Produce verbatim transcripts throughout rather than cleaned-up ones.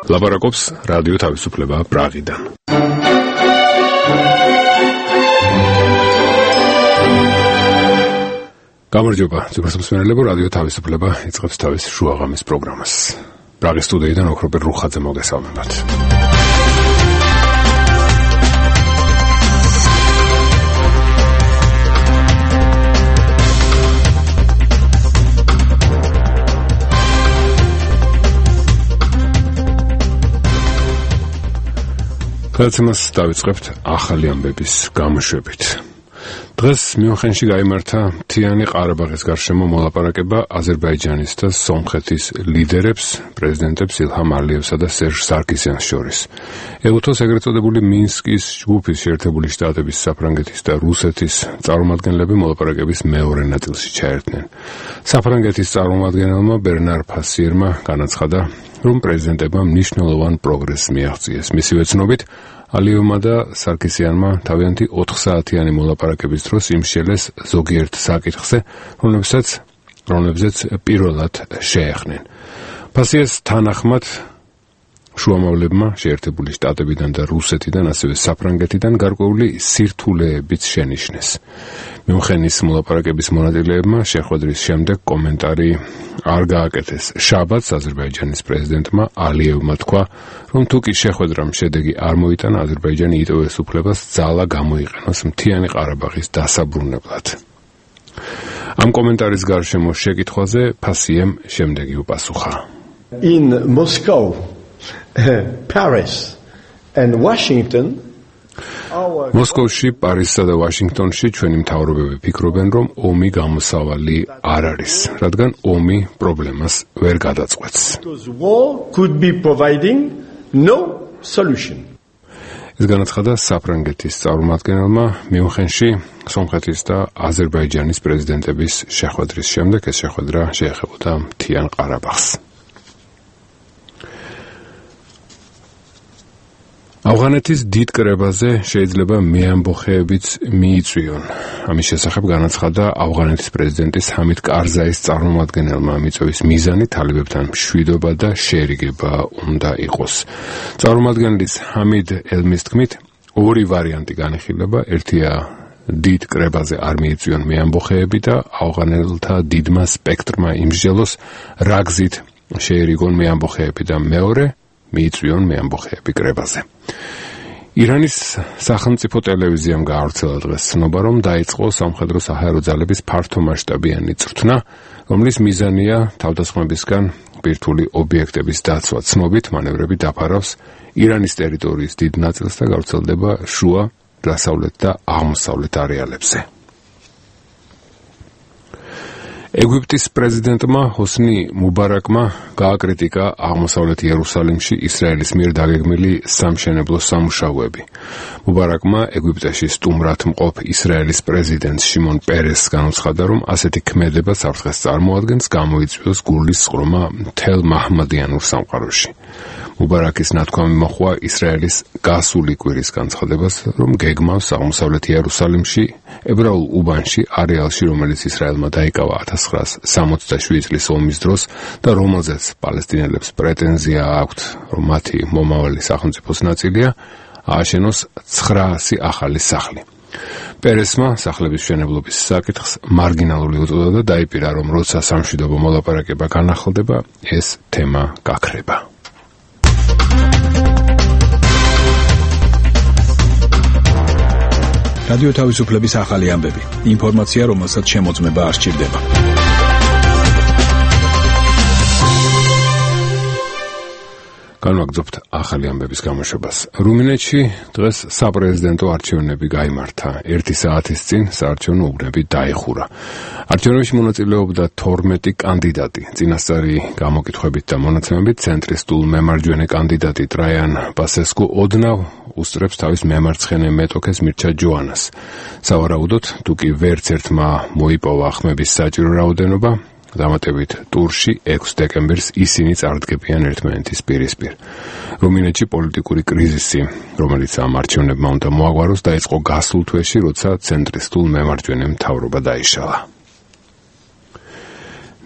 ლაპარაკობს რადიო თავისუფლება პრაღიდან. გამარჯობა, ძვირფასმსმენელებო, რადიო თავისუფლება იწყებს თავის შუაღამის პროგრამას. პრაღის სტუდიიდან ოქროპერ რუხაძე მოგესალმებათ. გადაცემას დავიწყებთ ახალი ამბების გამოშვებით. დღეს მიუნხენში გაიმართა მთიანი ყარაბაღის გარშემო მოლაპარაკება აზერბაიჯანის და სომხეთის ლიდერებს, პრეზიდენტებს ილჰამ ალიევსა და სერჟ სარკისიანს შორის. ეუთოს ეგრეთ წოდებული მინსკის ჯგუფის შეერთებული შტატების, საფრანგეთის და რუსეთის წარმომადგენლები მოლაპარაკების მეორე ნაწილში ჩაერთნენ. საფრანგეთის წარმომადგენელმა ბერნარ ფასიერმა განაცხადა, რომ პრეზიდენტებმა მნიშვნელოვან პროგრესს მიაღწიეს. მისივე ცნობით, ალიევმა და სარკისიანმა თავიანთი ოთხსაათიანი მოლაპარაკების დროს იმსჯელეს ზოგიერთ საკითხზე, რომლებსაც რომლებზეც პირველად შეეხნენ. ფასიერს თანახმად შუამავლებმა შეერთებული შტატებიდან და რუსეთიდან, ასევე საფრანგეთიდან გარკვეული სირთულეებიც შენიშნეს. მიუნხენის მოლაპარაკების მონაწილეებმა შეხვედრის შემდეგ კომენტარი არ გააკეთეს. შაბათს აზერბაიჯანის პრეზიდენტმა ალიევმა თქვა, რომ თუ კი შეხვედრამ შედეგი არ მოიტანა, აზერბაიჯანი იტოვეს უფლებას ძალა გამოიყენოს მთიანი ყარაბაღის დასაბრუნებლად. ამ კომენტარის გარშემო შეკითხვაზე ფასიემ შემდეგი უპასუხა. In Moscow, Paris and Washington მოსკოვში, პარიზსა და ვაშინგტონში ჩვენი მთავრობები ფიქრობენ, რომ ომი გამოსავალი არ არის, რადგან ომი პრობლემას ვერ გადაწყვეტს. ეს განაცხადა საფრანგეთის წარმომადგენელმა მიუნხენში სომხეთის და აზერბაიჯანის პრეზიდენტების შეხვედრის შემდეგ. ეს შეხვედრა შეეხებოდა მთიან ყარაბაღს. ავღანეთის დიდ კრებაზე შეიძლება მეამბოხეებიც მიიწვიონ. ამის შესახებ განაცხადა ავღანეთის პრეზიდენტის ჰამიდ კარზაის წარმომადგენელმა. მიწვევის მიზანი თალებებთან მშვიდობა და შერიგება უნდა იყოს. წარმომადგენლის ჰამიდ ელმის თქმით, ორი ვარიანტი განიხილება. ერთია დიდ კრებაზე არ მიიწვიონ მეამბოხეები და ავღანელთა დიდმა სპექტრმა იმსჯელოს, რა გზით შეერიგონ მეამბოხეები და მეორე მიიწვიონ მეამბოხეები კრებაზე. ირანის სახელმწიფო ტელევიზიამ გაავრცელა დღეს ცნობა, რომ დაიწყო სამხედრო საჰაერო ძალების ფართომასშტაბიანი წვრთნა, რომლის მიზანია თავდასხმებისგან ბირთვული ობიექტების დაცვა. ცნობით მანევრები დაფარავს ირანის ტერიტორიის დიდ ნაწილს და გავრცელდება შუა, დასავლეთ და აღმოსავლეთ არეალებზე. ეგვიპტის პრეზიდენტმა ჰოსნი მუბარაკმა გააკრიტიკა აღმოსავლეთ იერუსალიმში ისრაელის მიერ დაგეგმილი სამშენებლო სამუშაოები. მუბარაკმა ეგვიპტეში სტუმრად მყოფ ისრაელის პრეზიდენტ შიმონ პერესს განუცხადა, რომ ასეთი ქმედება საფრთხეს წარმოადგენს, გამოიწვიოს გულის სყრომა მთელ მაჰმადიანურ სამყაროში. მუბარაკის ნათქვამი მოჰყვა ისრაელის გასული კვირის განცხადებას, რომ გეგმავს აღმოსავლეთ იერუსალიმში, ებრაულ უბანში, არეალში, რომელიც ისრაელმა დაიკავა ათას ცხრაას სამოცდაშვიდი წლის ომის დროს და რომელზეც პალესტინელებს პრეტენზია აქვთ, რომ მათი მომავალი სახელმწიფოს ნაწილია, ააშენოს ცხრაასი ახალი სახლი. პერესმა სახლების მშენებლობის საკითხს მარგინალური უწოდა და დაიპირა, რომ როცა სამშვიდობო მოლაპარაკება განახლდება, ეს თემა გაქრება. რადიო თავისუფლების ახალი ამბები. ინფორმაცია, რომელსაც შემოწმება არ სჭირდება. განვაგრძობთ ახალი ამბების გამოშვებას. რუმინეთში დღეს საპრეზიდენტო არჩევნები გაიმართა. ერთი საათის წინ საარჩევნო უბნები დაიხურა. არჩევნებში მონაწილეობდა თორმეტი კანდიდატი. წინასწარი გამოკითხვებით და მონაცემებით ცენტრისტულ მემარჯვენე კანდიდატი ტრაიან ბასესკუ ოდნავ უსწრებს თავის მემარცხენე მეტოქეს მირჩა ჯოანას. სავარაუდოდ, თუ კი ვერც ერთმა მოიპოვა ხმების საჭირო რაოდენობა, დამატებით ტურში ექვსი დეკემბერს ისინი წარდგებიან ერთმანეთის პირისპირ. რუმინეთში პოლიტიკური კრიზისი, რომელიც ამ არჩევნებმა უნდა მოაგვაროს, დაიწყო გასულ თვეში, როცა ცენტრისტულ მემარჯვენე მთავრობა დაიშალა.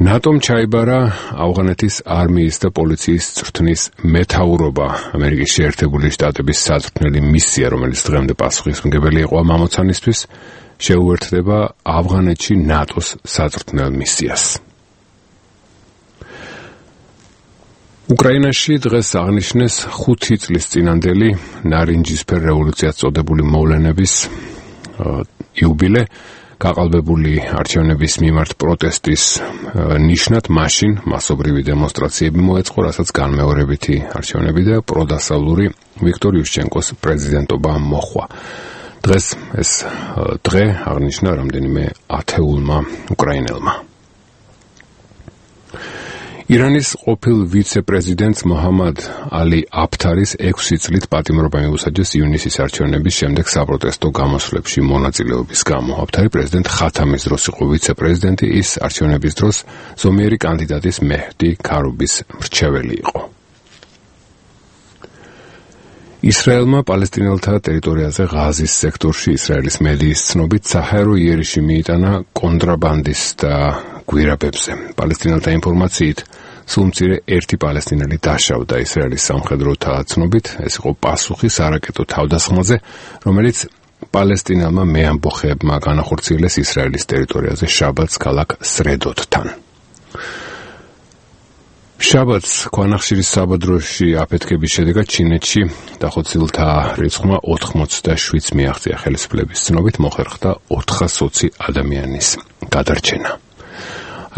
ნატომ ჩაიბარა ავღანეთის არმიის და პოლიციის წვრთნის მეთაურობა. ამერიკის შეერთებული შტატების საწვრთნელი მისია, რომელიც დღემდე პასუხისმგებელი იყო ამ ამოცანისთვის, შეუერთდება ავღანეთში ნატოს საწვრთნელ მისიას. უკრაინაში დღეს აღნიშნეს ხუთი წლის წინანდელი ნარინჯისფერ რევოლუციას წოდებული მოვლენების იუბილე. გაყალბებული არჩევნების მიმართ პროტესტის ნიშნად მაშინ მასობრივი დემონსტრაციები მოეწყო, რასაც განმეორებითი არჩევნები და პროდასავლური ვიქტორ იუშჩენკოს პრეზიდენტობა მოჰყვა. დღეს ეს დღე აღნიშნა რამდენიმე ათეულმა უკრაინელმა. ირანის ყოფილ ვიცე-პრეზიდენტს მოჰამად ალი აფთარის ექვსი წლით პატიმრობა მიუსაჯეს ივნისის არჩევნების შემდეგ საპროტესტო გამოსვლებში მონაწილეობის გამო. აფთარი პრეზიდენტ ხათამის დროს იყო ვიცე-პრეზიდენტი, ის არჩევნების დროს ზომიერი კანდიდატის მეჰდი ქარუბის მრჩეველი იყო. ისრაელმა პალესტინელთა ტერიტორიაზე ღაზის სექტორში ისრაელის მედიის ცნობით საჰაერო იერიში მიიტანა კონტრაბანდისტთა გვირაბებზე. პალესტინელთა ინფორმაციით სულ მცირე ერთი პალესტინელი დაშავდა ისრაელის სამხედროთა ცნობით. ეს იყო პასუხი სარაკეტო თავდასხმაზე, რომელიც პალესტინელმა მეამბოხეებმა განახორციელეს ისრაელის ტერიტორიაზე შაბათს ქალაქ სრედოთთან. შაბათს ქვანახშირის საბადროში აფეთქების შედეგად ჩინეთში დახოცილთა რიცხვმა ოთხმოცდაშვიდს მიაღწია. ხელისუფლების ცნობით მოხერხდა ოთხასოცი ადამიანის გადარჩენა.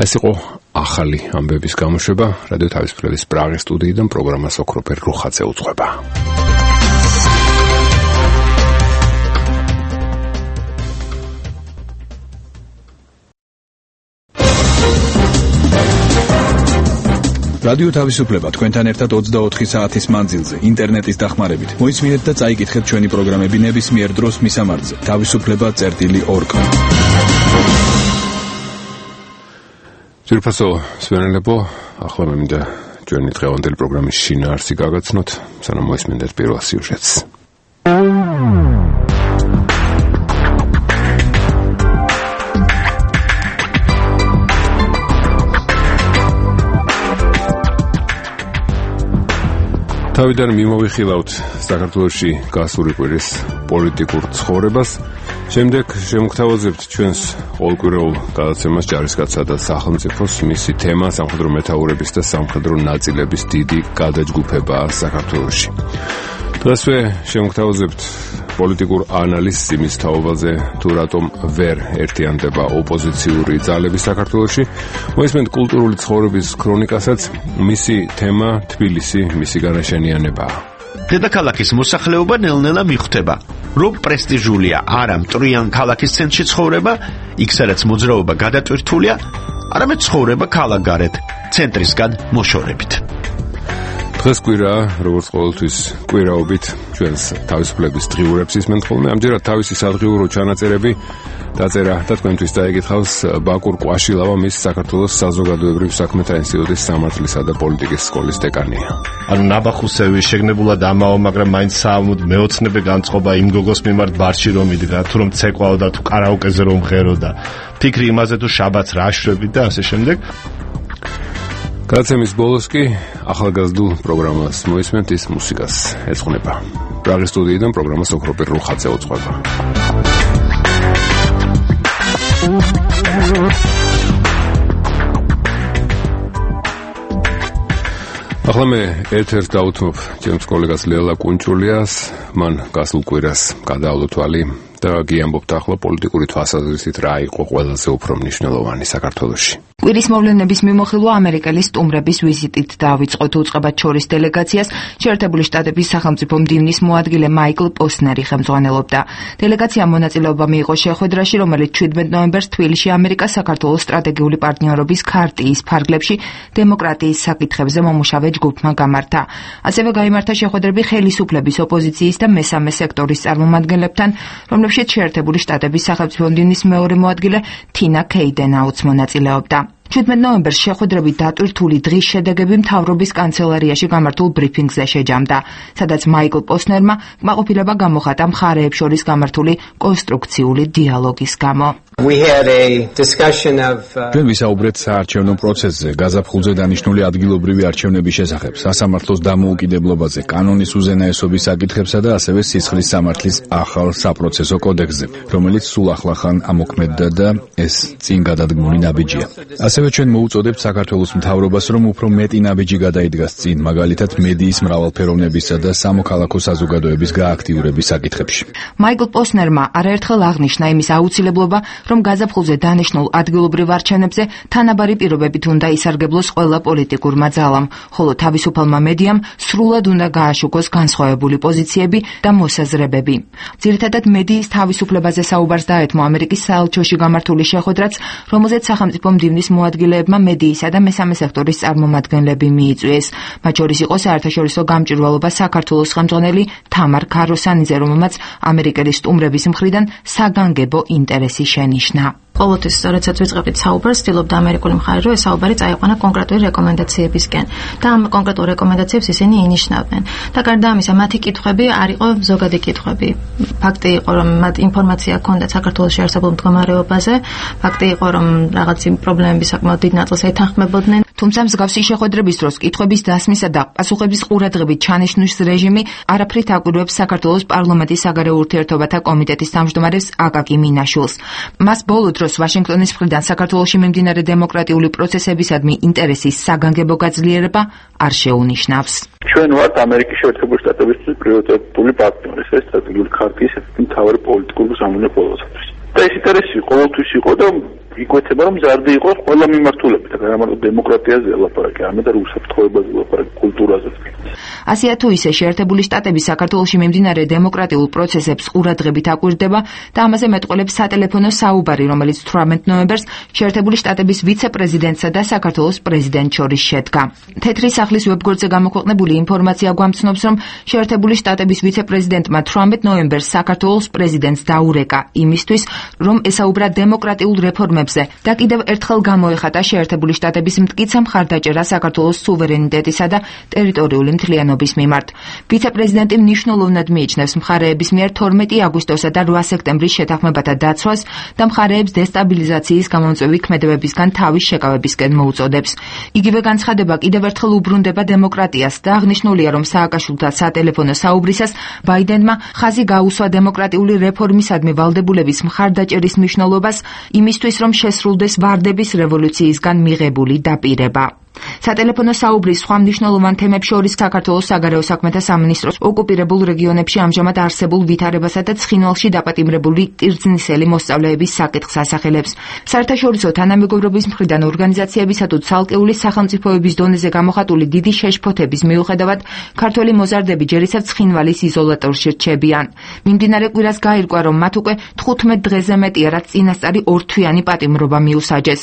ეს იყო ახალი ამბების გამოშვება. რადიო თავისუფლების პრაღის სტუდიიდან პროგრამას ოქროპერ რუხაძე უძღვება. რადიო თავისუფლება თქვენთან ერთად ოცდაოთხი საათის მანძილზე ინტერნეტის დახმარებით. მოისმინეთ და წაიკითხეთ ჩვენი პროგრამები ნებისმიერ დროს მისამართზე თავისუფლება წერტილი ორ კომ. ძირფასო სვენელებო, ახლა მე მინდა ჩვენი დღევანდელი პროგრამის შინაარსი გაგაცნოთ, სანამ მოისმინეთ პირველ სიუჟეტს. თავიდან მიმოვიხილავთ საქართველოში გასული კვირის პოლიტიკურ ცხოვრებას. შემდეგ შემოგთავაზებთ ჩვენს ყოველკვირეულ გადაცემას ჯარისკაცსა და სახელმწიფოს, მისი თემა სამხედრო მეთაურების და სამხედრო ნაწილების დიდი გადაჯგუფება საქართველოში. დღესვე შემოგთავაზებთ პოლიტიკურ ანალიზს იმის თაობაზე, თუ რატომ ვერ ერთიანდება ოპოზიციური ძალები საქართველოში. მოისმენთ კულტურული ცხოვრების ქრონიკასაც, მისი თემა თბილისი, მისი განაშენიანებაა. დედაქალაქის მოსახლეობა ნელ-ნელა მიხვდება, რომ პრესტიჟულია არა მტრიან ქალაქის ცენტრში ცხოვრება, იქ სადაც მოძრაობა გადატვირთულია, არამედ ცხოვრება ქალაქგარეთ, ცენტრისგან მოშორებით. დღეს კვირაა, როგორც ყოველთვის კვირაობით ჩვენს თავისუფლების დღიურებს ისმენთ ხოლმე. ამჯერად თავისი სადღიურო ჩანაწერები დაწერა და თქვენთვის დაეკითხავს ბაკურ ყვაშილავა, მის საქართველოს საზოგადოებრივ საქმეთა ინსტიტუტის სამართლისა და პოლიტიკის სკოლის დეკანია. ანუ ნაბახუსევი შეგნებულად ამაო, მაგრამ მაინც საამოდ მეოცნებე განწყობა იმ გოგოს მიმართ ბარში რომ იდგა, თუ რომ ცეკვაო და თუ კარაოკეზე რომ ღერო და ფიქრი იმაზე თუ შაბათს რა შვები და ასე შემდეგ. გადაცემის ბოლოს კი ახალგაზრდულ პროგრამას მოისმენთ, ის მუსიკას ეძღვნება. პრაღის სტუდიიდან პროგრამას ოქროპერ რუხაძე უძღვება. ახლა მე ერთ-ერთ დავუთმობ ჩემს კოლეგას ლელა კუნჭულიას, მან გასულ კვირას გადაავლო თვალი და გიამბობთ ახლა პოლიტიკური თვალსაზრისით რა იყო ყველაზე უფრო მნიშვნელოვანი საქართველოში. კვირის მოვლენების მიმოხილვა ამერიკელი სტუმრების ვიზიტით დაავიწყოთ უწყებად შორის დელეგაციას შეერთებული შტატების სახელმწიფო მდივნის მოადგილე მაიკლ პოსნერი ხელმძღვანელობდა. დელეგაციამ მონაწილეობა მიიღო შეხვედრაში, რომელიც შვიდმეტ ნოემბერს თბილისში ამერიკას საქართველოს სტრატეგიული პარტნიორობის ქარტიის ფარგლებში დემოკრატიის საკითხებზე მომუშავე ჯგუფმა გამართა. ასევე გაიმართა შეხვედრები ხელისუფლების, ოპოზიციის და მესამე სექტორის წარმომადგენლებთან, რომლებშიც შეერთებული შტატების სახელმწიფო მდივნის მეორე მოადგილე თინა ქეიდენაუც მონაწილეობდა. შვიდმეტ ნოემბერს შეხვედრებით დატვირთული დღის შედეგები მთავრობის კანცელარიაში გამართულ ბრიფინგზე შეჯამდა, სადაც მაიკლ პოსნერმა კმაყოფილება გამოხატა მხარეებს შორის გამართული კონსტრუქციული დიალოგის გამო. ჩვენ ვისაუბრეთ საარჩევნო პროცესზე, გაზაფხულზე დანიშნული ადგილობრივი არჩევნების შესახებ, სასამართლოს დამოუკიდებლობაზე, კანონის უზენაესობის საკითხებსა და ასევე სისხლის სამართლის ახალ საპროცესო კოდექსზე, რომელიც სულ ახლახან ამოქმედდა და ეს წინ გადადგმული ნაბიჯია. ასევე ჩვენ მოუწოდებთ საქართველოს მთავრობას, რომ უფრო მეტი ნაბიჯი გადაიდგას წინ, მაგალითად მედიის მრავალფეროვნებისა და სამოქალაქო საზოგადოების გააქტიურების საკითხებში. მაიკლ პოსნერმა არაერთხელ აღნიშნა იმის აუცილებლობა, რომ გაზაფხულზე დანიშნულ ადგილობრივ არჩევნებზე თანაბარი პირობებით უნდა ისარგებლოს ყველა პოლიტიკურმა ძალამ, ხოლო თავისუფალმა მედიამ სრულად უნდა გააშუქოს განსხვავებული პოზიციები და მოსაზრებები. ძირითადად მედიის თავისუფლებაზე საუბარს დაეთმო ამერიკის საელჩოში გამართული შეხვედრაც, რომელზეც სახელმწიფო მდივნის მოადგილეებმა მედიისა და მესამე სექტორის წარმომადგენლები მიიწვიეს. მათ შორის იყო საერთაშორისო გამჭვირვალობა საქართველოს ხელმძღვანელი თამარ ქაროსანიძე, რომელმაც ამერიკელი სტუმრების მხრიდან საგანგებო ინტერესი შენიშნა. ყოველთვის როდესაც ვიწყებთ საუბარს, ვცდილობთ ამერიკული მხარე, რომ ეს საუბარი წაიყვანა კონკრეტული რეკომენდაციებისკენ და ამ კონკრეტულ რეკომენდაციებს ისინი ინიშნავდნენ. და გარდა ამისა, მათი კითხვები არ იყო ზოგადი კითხვები. ფაქტი იყო, რომ მათ ინფორმაცია ჰქონდათ საქართველოს შეარსებულ მდგომარეობაზე, ფაქტი იყო, რომ რაღაც პრობლემები საკმაოდ დიდ ნაწილს ეთანხმებოდნენ. თუმცა მსგავსი შეხვედრების დროს კითხვების დასმისა და პასუხების ყურადღებით ჩანიშვნის რეჟიმი არაფრით აკვირვებს საქართველოს პარლამენტის საგარეო ურთიერთობათა კომიტეტის თავმჯდომარეს აკაკი მინაშვილს. მას ბოლო დროს ვაშინგტონის მხრიდან საქართველოში მიმდინარე დემოკრატიული პროცესებისადმი ინტერესის საგანგებო გაძლიერება არ შეუნიშნავს. ჩვენ ვართ ამერიკის შეერთებული შტატებისთვის პრიორიტეტული პარტნიორი, ეს სტრატეგიული ქარტიის ერთ-ერთი მთავარი პოლიტიკური სამონე ყოველთვის. და ეს ინტერესი ყოველთვის იყო და იკვეთება, რომ მზარდი იყოს ყველა მიმართულებით, არა მარტო დემოკრატიაზე ელაპარაკი, არამედ უსაფრთხოებაზე ელაპარაკი, კულტურაზე. ასეა თუ ისე შეერთებული შტატები საქართველოში მიმდინარე დემოკრატიულ პროცესებს ყურადღებით აკვირდება და ამაზე მეტყველებს სატელეფონო საუბარი, რომელიც თვრამეტ ნოემბერს შეერთებული შტატების ვიცე-პრეზიდენტსა და საქართველოს პრეზიდენტს შორის შედგა. თეთრი სახლის ვებგვერდზე გამოქვეყნებული ინფორმაცია გვამცნობს, რომ შეერთებული შტატების ვიცე-პრეზიდენტმა თვრამეტ ნოემბერს საქართველოს პრეზიდენტს დაურეკა იმისთვის, რომ ესაუბრა დემოკრატიულ რეფორმებზე და კიდევ ერთხელ გამოეხატა შეერთებული შტატების მტკიცე მხარდაჭერა საქართველოს სუვერენიტეტისა და ტერიტორიული მთლიანობის მიმართ. ვიცე-პრეზიდენტი მნიშვნელოვნად მიიჩნევს მხარეების მიერ თორმეტი აგვისტოსა და რვა სექტემბრის შეთანხმებათა დაცვას და მხარეებს დესტაბილიზაციის გამომწვევი ქმედებებისგან თავის შეკავებისკენ მოუწოდებს. იგივე განცხადება კიდევ ერთხელ უბრუნდება დემოკრატიას და აღნიშნულია, რომ სააკაშვილთან სატელეფონო საუბრისას ბაიდენმა ხაზი გაუსვა დემოკრატიული რეფორმისადმი ვალდებულების მხარდაჭერის მნიშვნელობას იმისთვის, რომ შესრულდეს ვარდების რევოლუციისგან მიღებული დაპირება. სატელეფონო საუბრის სხვა მნიშვნელოვან თემებს შორის საქართველოს საგარეო საქმეთა სამინისტროს ოკუპირებულ რეგიონებში ამჟამად არსებულ ვითარებასა და ცხინვალში დაპატიმრებული კერძნისელი მოსწავლეების საკითხს ასახელებს. საერთაშორისო თანამეგობრობის მხრიდან ორგანიზაციებისა თუ ცალკეული სახელმწიფოების დონეზე გამოხატული დიდი შეშფოთების მიუხედავად, ქართველი მოზარდები ჯერ ისევ ცხინვალის იზოლატორში რჩებიან. მიმდინარე კვირას გაირკვა, რომ მათ უკვე თხუთმეტ დღეზე მეტია, რაც წინასწარი ორთვიანი პატიმრობა მიუსაჯეს.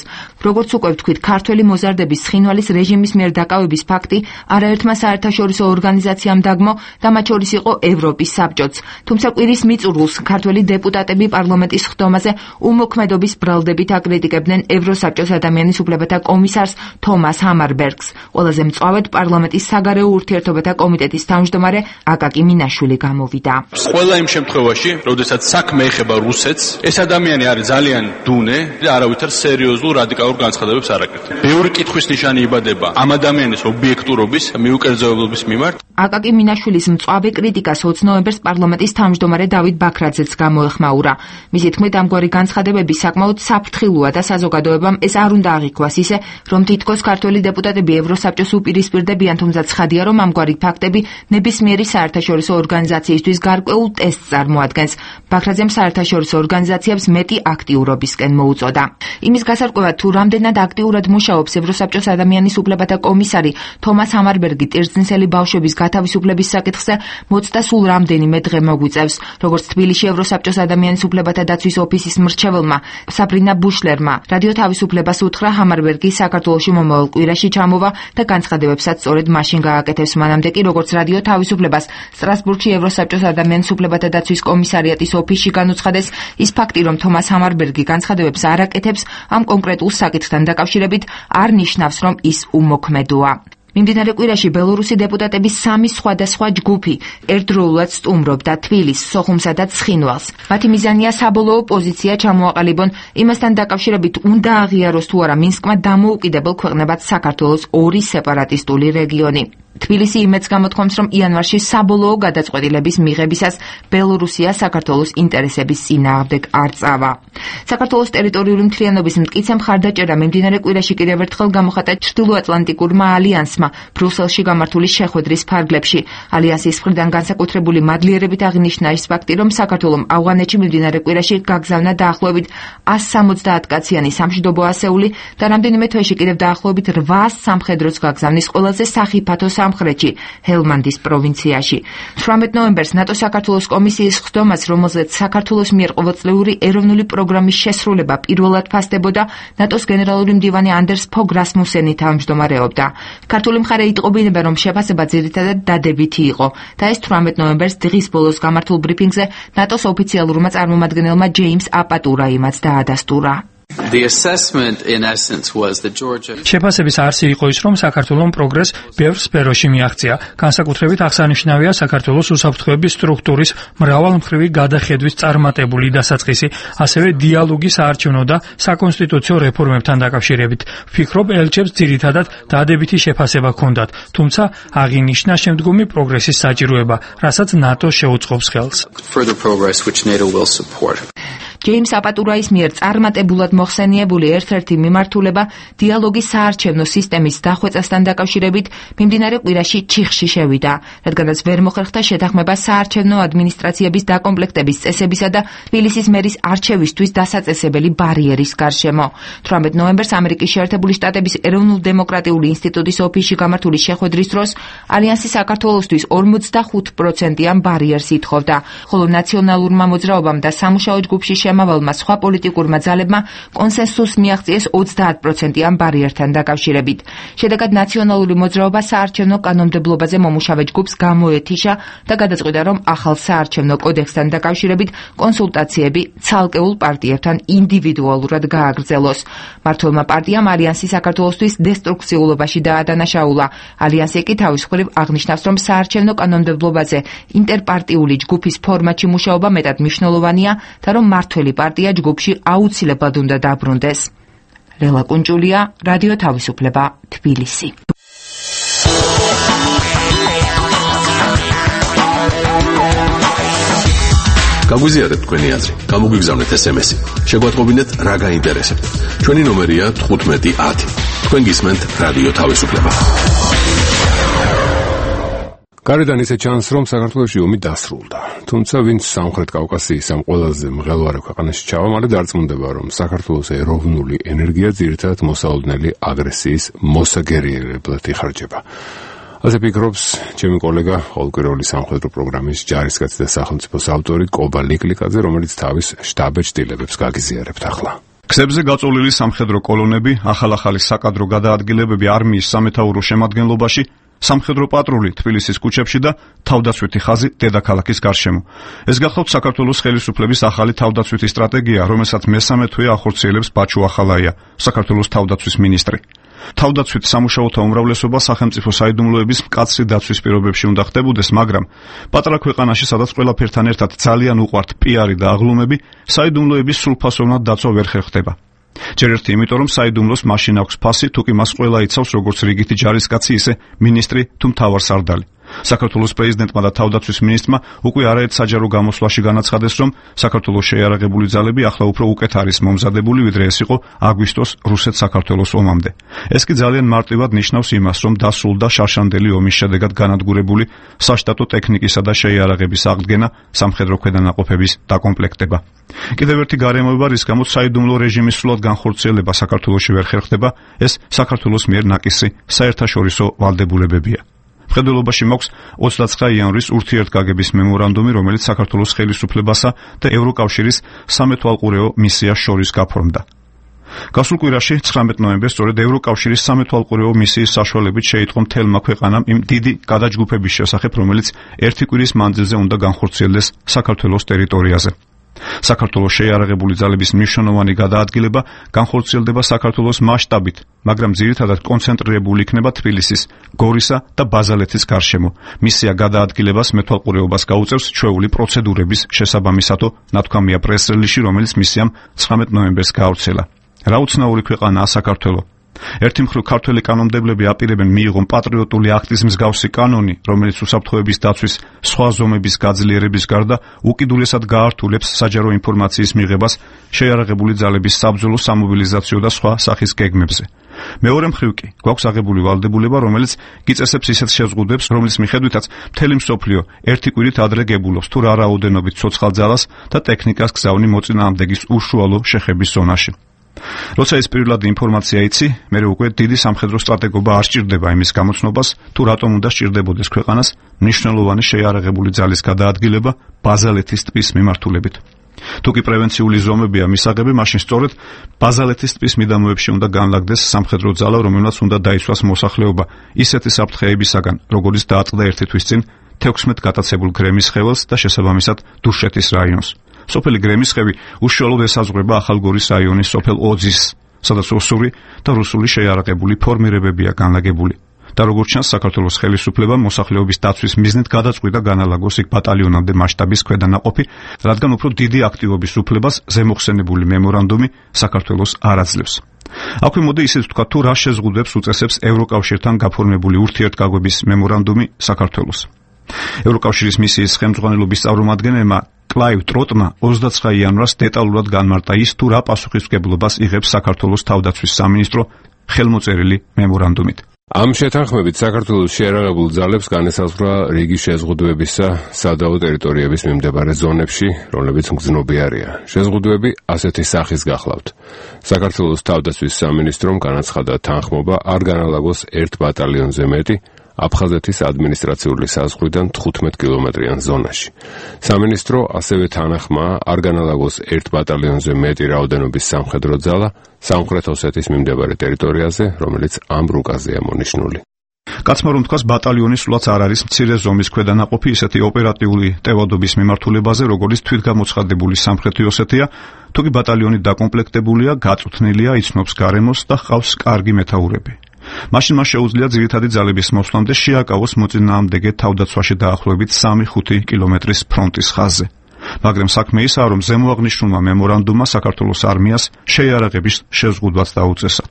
როგორც უკვე ვთქვით, ქართველი მოზარდების ცხინვალის რეჟიმის მიერ დაკავების ფაქტი არაერთმა საერთაშორისო ორგანიზაციამ დაგმო და მათ შორის იყო ევროპის საბჭოც. თუმცა კვირის მიწურულს ქართველი დეპუტატები პარლამენტის ხდომაზე უმოქმედობის ბრალდებით აკრიტიკებდნენ ევროსაბჭოს ადამიანის უფლებათა კომისარს თომას ჰამარბერგს. ყველაზე მწვავედ პარლამენტის საგარეო ურთიერთობათა კომიტეტის თავმჯდომარე აკაკი მინაშვილი გამოვიდა. ყველა იმ შემთხვევაში, როდესაც საქმე ეხება რუსეთს, ეს ადამიანი არის ძალიან დუნე და არავითარ სერიოზულ რადიკალურ განცხადებებს არ აკეთებს. ბევრი კითხვის ნიშანი იბადება ამ ადამიანის ობიექტურობის, მიუკერძოებების მიმართ. აკაკი მინაშვილის მწვავე კრიტიკას ოც ნოემბერს პარლამენტის თავმჯდომარე დავით ბაქრაძეც გამოეხმაურა. მისი თქმით, ამგვარი განცხადებები საკმაოდ საფრთხილოა და საზოგადოებამ ეს არ უნდა აღიქვას ისე, რომ თითქოს ქართველი დეპუტატები ევროსაბჭოს უპირისპირდებიან, თუმცა ცხადია, რომ ამგვარი ფაქტები ნებისმიერი საერთაშორისო ორგანიზაციისთვის გარკვეულ ტესტს წარმოადგენს. ბაქრაძემ საერთაშორისო ორგანიზაციებს მეტი აქტიურობისკენ მოუწოდა. იმის გასარკვევად, თუ რამდენად აქტიურად მუშაობს ევროსაბჭოს ადამიანის ადამიანის უფლებათა კომისარი თომას ჰამარბერგი ტირზნისელი ბავშვების გათავისუფლების საკითხზე მოწდა სულ რამდენიმე დღე მოგვიწევს. როგორც თბილისში ევროსაბჭოს ადამიანის უფლებათა დაცვის ოფისის მრჩეველმა საბრინა ბუშლერმა რადიო თავისუფლებას უთხრა, ჰამარბერგი საქართველოში მომავალ კვირაში ჩამოვა და განცხადებებსაც სწორედ მაშინ გააკეთებს. მანამდე კი როგორც რადიო თავისუფლებას სტრასბურგში ევროსაბჭოს ადამიანის უფლებათა დაცვის კომისარიატის ოფისში განუცხადეს, ის ფაქტი, რომ თომას ჰამარბერგი განცხადებებს არ აკეთებს ამ კონკრეტულ საკითხთან დაკავშირებით, არ ნიშნავს, რომ ის უმოქმედოა. მიმდინარე კვირაში ბელორუსი დეპუტატების სამი სხვადასხვა ჯგუფი ერთდროულად სტუმრობდა თბილისს, სოხუმსა და ცხინვალს. მათი მიზანია საბოლოო პოზიცია ჩამოაყალიბონ იმასთან დაკავშირებით, უნდა აღიაროს თუ არა მინსკმა დამოუკიდებელ ქვეყნებად საქართველოს ორი სეპარატისტული რეგიონი. თბილისი იმედს გამოთქვამს, რომ იანვარში საბოლოო გადაწყვეტილების მიღებისას ბელორუსია საქართველოს ინტერესების წინააღმდეგ არ წავა. საქართველოს ტერიტორიული მთლიანობის მტკიცე მხარდაჭერა მიმდინარე კვირაში კიდევ ერთხელ გამოხატა ჩრდილოატლანტიკურმა ალიანსმა ბრიუსელში გამართული შეხვედრის ფარგლებში. ალიანსის მხრიდან განსაკუთრებული მადლიერებით აღინიშნა ის ფაქტი, რომ საქართველომ ავღანეთში მიმდინარე კვირაში გაგზავნა დაახლოებით ას სამოცდაათ კაციანი სამშვიდობო ასეული და რამდენიმე თვეში კიდევ დაახლოებით რვაას სამხედროს გაგზავნის ყველაზე სახიფათო სამხრეთში, ჰელმანდის პროვინციაში. თვრამეტ ნოემბერს ნატო საქართველოს კომისიის ხდომას, რომელზეც საქართველოს მიერ ყოველწლიური ეროვნული პროგრამის შესრულება პირველად ფასდებოდა, ნატოს გენერალური მდივანი ანდერს ფოგ რასმუსენი თავმჯდომარეობდა. ქართული მხარე იტყობინება, რომ შეფასება ძირითადად დადებითი იყო და ეს თვრამეტ ნოემბერს დღის ბოლოს გამართულ ბრიფინგზე ნატოს ოფიციალურმა წარმომადგენელმა ჯეიმს აპატურაიმაც დაადასტურა. The assessment in essence was that Georgia შეფასების არსი იყო ის, რომ საქართველოს პროგრესს ბევრ სფეროში მიაღწია. განსაკუთრებით აღსანიშნავია საქართველოს უსაფრთხოების სტრუქტურის მრავალმხრივი გადახედვის წარმატებული დასაწყისი, ასევე დიალოგი საარჩევნო და საკონსტიტუციო რეფორმებთან დაკავშირებით. ვფიქრობ, ელჩებს ძირითადად დადებითი შეფასება ჰქონდათ, თუმცა აღინიშნა შემდგომი პროგრესის საჭიროება, რასაც ნატო შეუწყობს ხელს. further progress which NATO will support. ჯეიმს აპატურაის მიერ წარმატებულად მოხსენიებული ერთ-ერთი მიმართულება დიალოგის საარჩევნო სისტემის დახვეწასთან დაკავშირებით მიმდინარე კვირაში ჩიხში შევიდა, რადგანაც ვერ მოხერხდა შეთანხმება საარჩევნო ადმინისტრაციების დაკომპლექტების წესებისა და თბილისის მერის არჩევისთვის დასაწესებელი ბარიერის გარშემო. თვრამეტ ნოემბერს ამერიკის შეერთებული შტატების ეროვნულ-დემოკრატიული ინსტიტუტის ოფისში გამართული შეხვედრის დროს ალიანსი საქართველოსთვის ორმოცდახუთ პროცენტიან ბარიერს ითხოვდა, ხოლო ნაციონალურმა მოძრაობამ და სამუშაო ჯგუფში შემავალმა სხვა პოლიტიკურმა ძალებმა კონსენსუსს მიაღწიეს ოცდაათ პროცენტიან ბარიერთან დაკავშირებით. შედეგად ნაციონალური მოძრაობა საარჩევნო კანონმდებლობაზე მომუშავე ჯგუფს გამოეთიშა და გადაწყვიტა, რომ ახალ საარჩევნო კოდექსთან დაკავშირებით კონსულტაციები ცალკეულ პარტიებთან ინდივიდუალურად გააგრძელოს. მმართველმა პარტიამ ალიანსი საქართველოსთვის დესტრუქციულობაში დაადანაშაულა. ალიანსი კი თავის მხრივ აღნიშნავს, რომ საარჩევნო კანონმდებლობაზე ინტერპარტიული ჯგუფის ფორმატში მუშაობა მეტად მნიშვნელოვანია და რომ მმართველი პარტია ჯგუფში აუცილებლად უნდა დაბრუნდეს. რელა კუნჭულია, რადიო თავისუფლება, თბილისი. გაგვიზიარეთ თქვენი აზრი, გამოგვიგზავნეთ ეს ემ ესი. შეგვატყობინეთ რა გაინტერესებთ. ჩვენი ნომერია თხუთმეტი ათი. თქვენ გისმენთ რადიო თავისუფლება. გარედან ისე ჩანს, რომ საქართველოში ომი დასრულდა. თუმცა ვინც სამხრეთ კავკასიის ამ ყველაზე მღელვარე ქვეყანაში ჩავა, მალე დარწმუნდება, რომ საქართველოს ეროვნული ენერგია ძირითადად მოსაოდნელი აგრესიის მოსაგერიერებლად იხარჯება. ასე ფიქრობს ჩემი კოლეგა, ყოველკვირეული სამხედრო პროგრამის ჯარისკაცი და სახელმწიფოს ავტორი კობა ლიკლიკაძე, რომელიც თავის შტაბ-ეჭდილებებს გაგიზიარებთ ახლა. გზებზე გაწოლილი სამხედრო კოლონები, ახალ-ახალი საკადრო გადაადგილებები არმიის სამეთაურო შემადგენლობაში, სამხედრო პატრული თბილისის ქუჩებში და თავდაცვითი ხაზი დედაქალაქის გარშემო. ეს გახლავთ საქართველოს ხელისუფლების ახალი თავდაცვითი სტრატეგია, რომელსაც მესამე თვე ახორციელებს ბაჩუ ახალაია, საქართველოს თავდაცვის მინისტრი. თავდაცვით სამუშაოთა უმრავლესობა სახელმწიფო საიდუმლოების მკაცრი დაცვის პირობებში უნდა ხდებოდეს, მაგრამ პატარა ქვეყანაში, სადაც ყველაფერთან ერთად ძალიან უყვართ პიარი და აღლუმები, საიდუმლოების სრულფასოვნად დაცვა ვერ ხერხდება. ჯერ ერთი იმიტომ, რომ საიდუმლოს მაშინ აქვს ფასი, თუ კი მას ყველა იცავს როგორც რიგითი ჯარისკაცი, ისე მინისტრი თუ მთავარსარდალი. საქართველოს პრეზიდენტმა და თავდაცვის მინისტრმა უკვე არაერთ საჯარო გამოსვლაში განაცხადეს, რომ საქართველოს შეიარაღებული ძალები ახლა უფრო უკეთ არის მომზადებული, ვიდრე ეს იყო აგვისტოს რუსეთ-საქართველოს ომამდე. ეს კი ძალიან მარტივად ნიშნავს იმას, რომ დასრულდა შარშანდელი ომის შედეგად განადგურებული საშტატო ტექნიკისა და შეიარაღების აღდგენა, სამხედრო ქვედანაყოფების დაკომპლექტება. კიდევ ერთი გარემოება, რის გამოც საიდუმლო რეჟიმის სრულად განხორციელება საქართველოში ვერ ხერხდება, ეს საქართველოს მიერ ნაკისი საერთაშორისო ვალდებულებებია. მხედველობაში მოქვს ოცდაცხრა იანვრის ურთიერთგაგების მემორანდუმი, რომელიც საქართველოს ხელისუფლებასა და ევროკავშირის სამეთვალყურეო მისიას შორის გაფორმდა. გასულ კვირაში ცხრამეტ ნოემბერს სწორედ ევროკავშირის სამეთვალყურეო მისიის საშუალებით შეიტყო მთელმა ქვეყანამ იმ დიდი გადაჯგუფების შესახებ, რომელიც ერთი კვირის მანძილზე უნდა განხორციელდეს საქართველოს ტერიტორიაზე. საქართველოს შეიარაღებული ძალების მნიშვნელოვანი გადაადგილება განხორციელდება საქართველოს მასშტაბით, მაგრამ ძირითადად კონცენტრირებული იქნება თბილისის, გორისა და ბაზალეთის გარშემო. მისია გადაადგილებას მეთვალყურეობას გაუწევს ჩვეული პროცედურების შესაბამისად, ნათქვამია პრეს-რელიზში, რომელიც მისიამ ცხრამეტ ნოემბერს გაავრცელა. რა უცნაური ქვეყანაა საქართველო. ერთი მხრივ ქართველი კანონმდებლები აპირებენ მიიღონ პატრიოტული აქტის მსგავსი კანონი, რომელიც უსაფრთხოების დაცვის სხვა ზომების გაძლიერების გარდა უკიდურესად გაართულებს საჯარო ინფორმაციის მიღებას შეიარაღებული ძალების საბრძოლო სამობილიზაციო და სხვა სახის გეგმებზე. მეორე მხრივ კი გვაქვს აღებული ვალდებულება, რომელიც გიწესებს ისეთ შეზღუდვებს, რომლის მიხედვითაც მთელი მსოფლიო ერთი კვირით ადრე გებულობს თუ რა რაოდენობით ცოცხალ ძალას და ტექნიკას გზავნი მოწინააღმდეგის უშუალო შეხების ზონაში. როცა ეს პირველადი ინფორმაცია იცი, მერე უკვე დიდი სამხედრო სტრატეგობა არ სჭირდება იმის გამოცნობას, თუ რატომ უნდა სჭირდებოდეს ქვეყანას მნიშვნელოვანი შეიარაღებული ძალის გადაადგილება ბაზალეთის ტბის მიმართულებით. თუ კი პრევენციული ზომებია მისაღები, მაშინ სწორედ ბაზალეთის ტბის მიდამოებში უნდა განლაგდეს სამხედრო ძალა, რომელმაც უნდა დაიცვას მოსახლეობა ისეთი საფრთხეებისაგან, როგორიც დააწყდა ერთი თვის წინ თექვსმეტ გატაცებულ გრემის ხეველს და შესაბამისად დუშეთის რაიონს. სოფელი გრემისხევი უშუალოდ ესაზღვრება ახალგორის რაიონის სოფელ ოძის, სადაც რუსული და რუსული შეიარაღებული ფორმირებებია განლაგებული. და როგორც ჩანს, საქართველოს ხელისუფლებამ მოსახლეობის დაცვის მიზნით გადაწყვიტა განალაგოს იქ ბატალიონამდე მასშტაბის ქვედანაყოფი, რადგან უფრო დიდი აქტივობის უფლებას ზემოხსენებული მემორანდუმი საქართველოს არ აძლევს. აქვე მოდი ისიც ვთქვა, თუ რა შეზღუდვებს უწესებს ევროკავშირთან გაფორმებული ურთიერთგაგების მემორანდუმი საქართველოს. ევროკავშირის მისიის ხელმძღვანელობის წარმომადგენელმა კლაივ ტროტმა ოცდაცხრა იანვრს დეტალურად განმარტა ის, თუ რა პასუხისმგებლობას იღებს საქართველოს თავდაცვის სამინისტრო ხელმოწერილი მემორანდუმით. ამ შეთანხმებით საქართველოს შეიარაღებულ ძალებს განესაზღვრა რიგი შეზღუდვებისა სადავო ტერიტორიების მიმდებარე ზონებში, რომლებიც მგზნობი არიან. შეზღუდვები ასეთი სახის გახლავთ. საქართველოს თავდაცვის სამინისტრომ განაცხადა თანხმობა არ განალაგოს ერთ ბატალიონზე მეტი აფხაზეთის ადმინისტრაციული საზღვრიდან თხუთმეტ კილომეტრიან ზონაში. სამინისტრო ასევე თანახმა არ განალაგოს ერთ ბატალიონზე მეტი რაოდენობის სამხედრო ძალა სამხრეთ ოსეთის მიმდებარე ტერიტორიაზე, რომელიც ამ რუკაზეა მონიშნული. კაცმა რომ თქვას, ბატალიონი სულაც არ არის მცირე ზომის ქვედანაყოფი ისეთი ოპერატიული ტევადობის მიმართულებაზე, როგორც თვითგამოცხადებული სამხრეთი ოსეთია, თუ კი ბატალიონი დაკომპლექტებულია, გაწუთნილია, იცნობს გარემოს და ჰყავს კარგი მეთაურები. მაშინ მას შეუძლია ძირითადი ძალების მოსვლამდე შეაკავოს მოწინააღმდეგე თავდაცვაში დაახლოებით სამი ხუთი კილომეტრის ფრონტის ხაზზე. მაგრამ საქმე ისაა, რომ ზემოაღნიშნულმა მემორანდუმმა საქართველოს არმიას შეიარაღების შეზღუდვაც დაუწესა.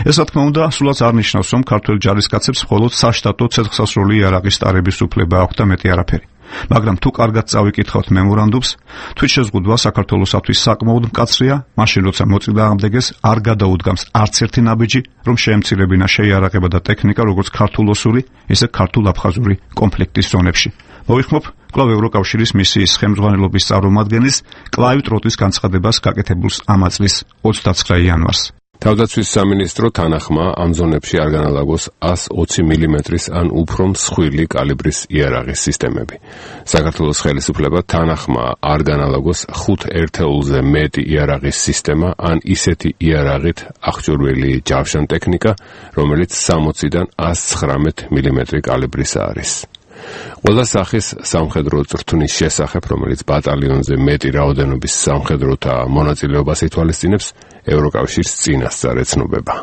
ეს რა თქმა უნდა სულაც არ ნიშნავს, რომ ქართველ ჯარისკაცებს მხოლოდ საშტატო ცეცხლსასროლი იარაღის ტარების უფლება აქვს და მეტი არაფერი. მაგრამ თუ კარგად წავიკითხავთ მემორანდუმს, თვითშეზღუდვა საქართველოსათვის საკმაოდ მკაცრია, მაშინ როცა მოწინააღმდეგეს არ გადაუდგამს არც ერთი ნაბიჯი, რომ შეემცირებინა შეიარაღება და ტექნიკა როგორც ქართულ-ოსური, ისე ქართულ-აფხაზური კონფლიქტის ზონებში. მოვიხმობ კვლავ ევროკავშირის მისიის ხელმძღვანელობის წარმომადგენლის კლაივ ტროტის განცხადებას გაკეთებულს ამ წლის ოცდაცხრა იანვარს. თავდაცვის სამინისტრო თანახმა ამ ზონებში არ განალაგოს ას ოცი მილიმეტრის ან უფრო მსხვილი კალიბრის იარაღის სისტემები. საქართველოს ხელისუფლება თანახმა არ განალაგოს ხუთ ერთეულზე მეტი იარაღის სისტემა ან ისეთი იარაღით აღჭურვილი ჯავშან ტექნიკა, რომელიც სამოციდან ას ცხრამეტ მილიმეტრი კალიბრის არის. ყველა სახის სამხედრო წრთუნის შესახებ, რომელიც ბატალიონზე მეტი რაოდენობის სამხედროთა მონაწილეობას ითვალისწინებს, ევროკავშირის წინასწარ ეცნობება.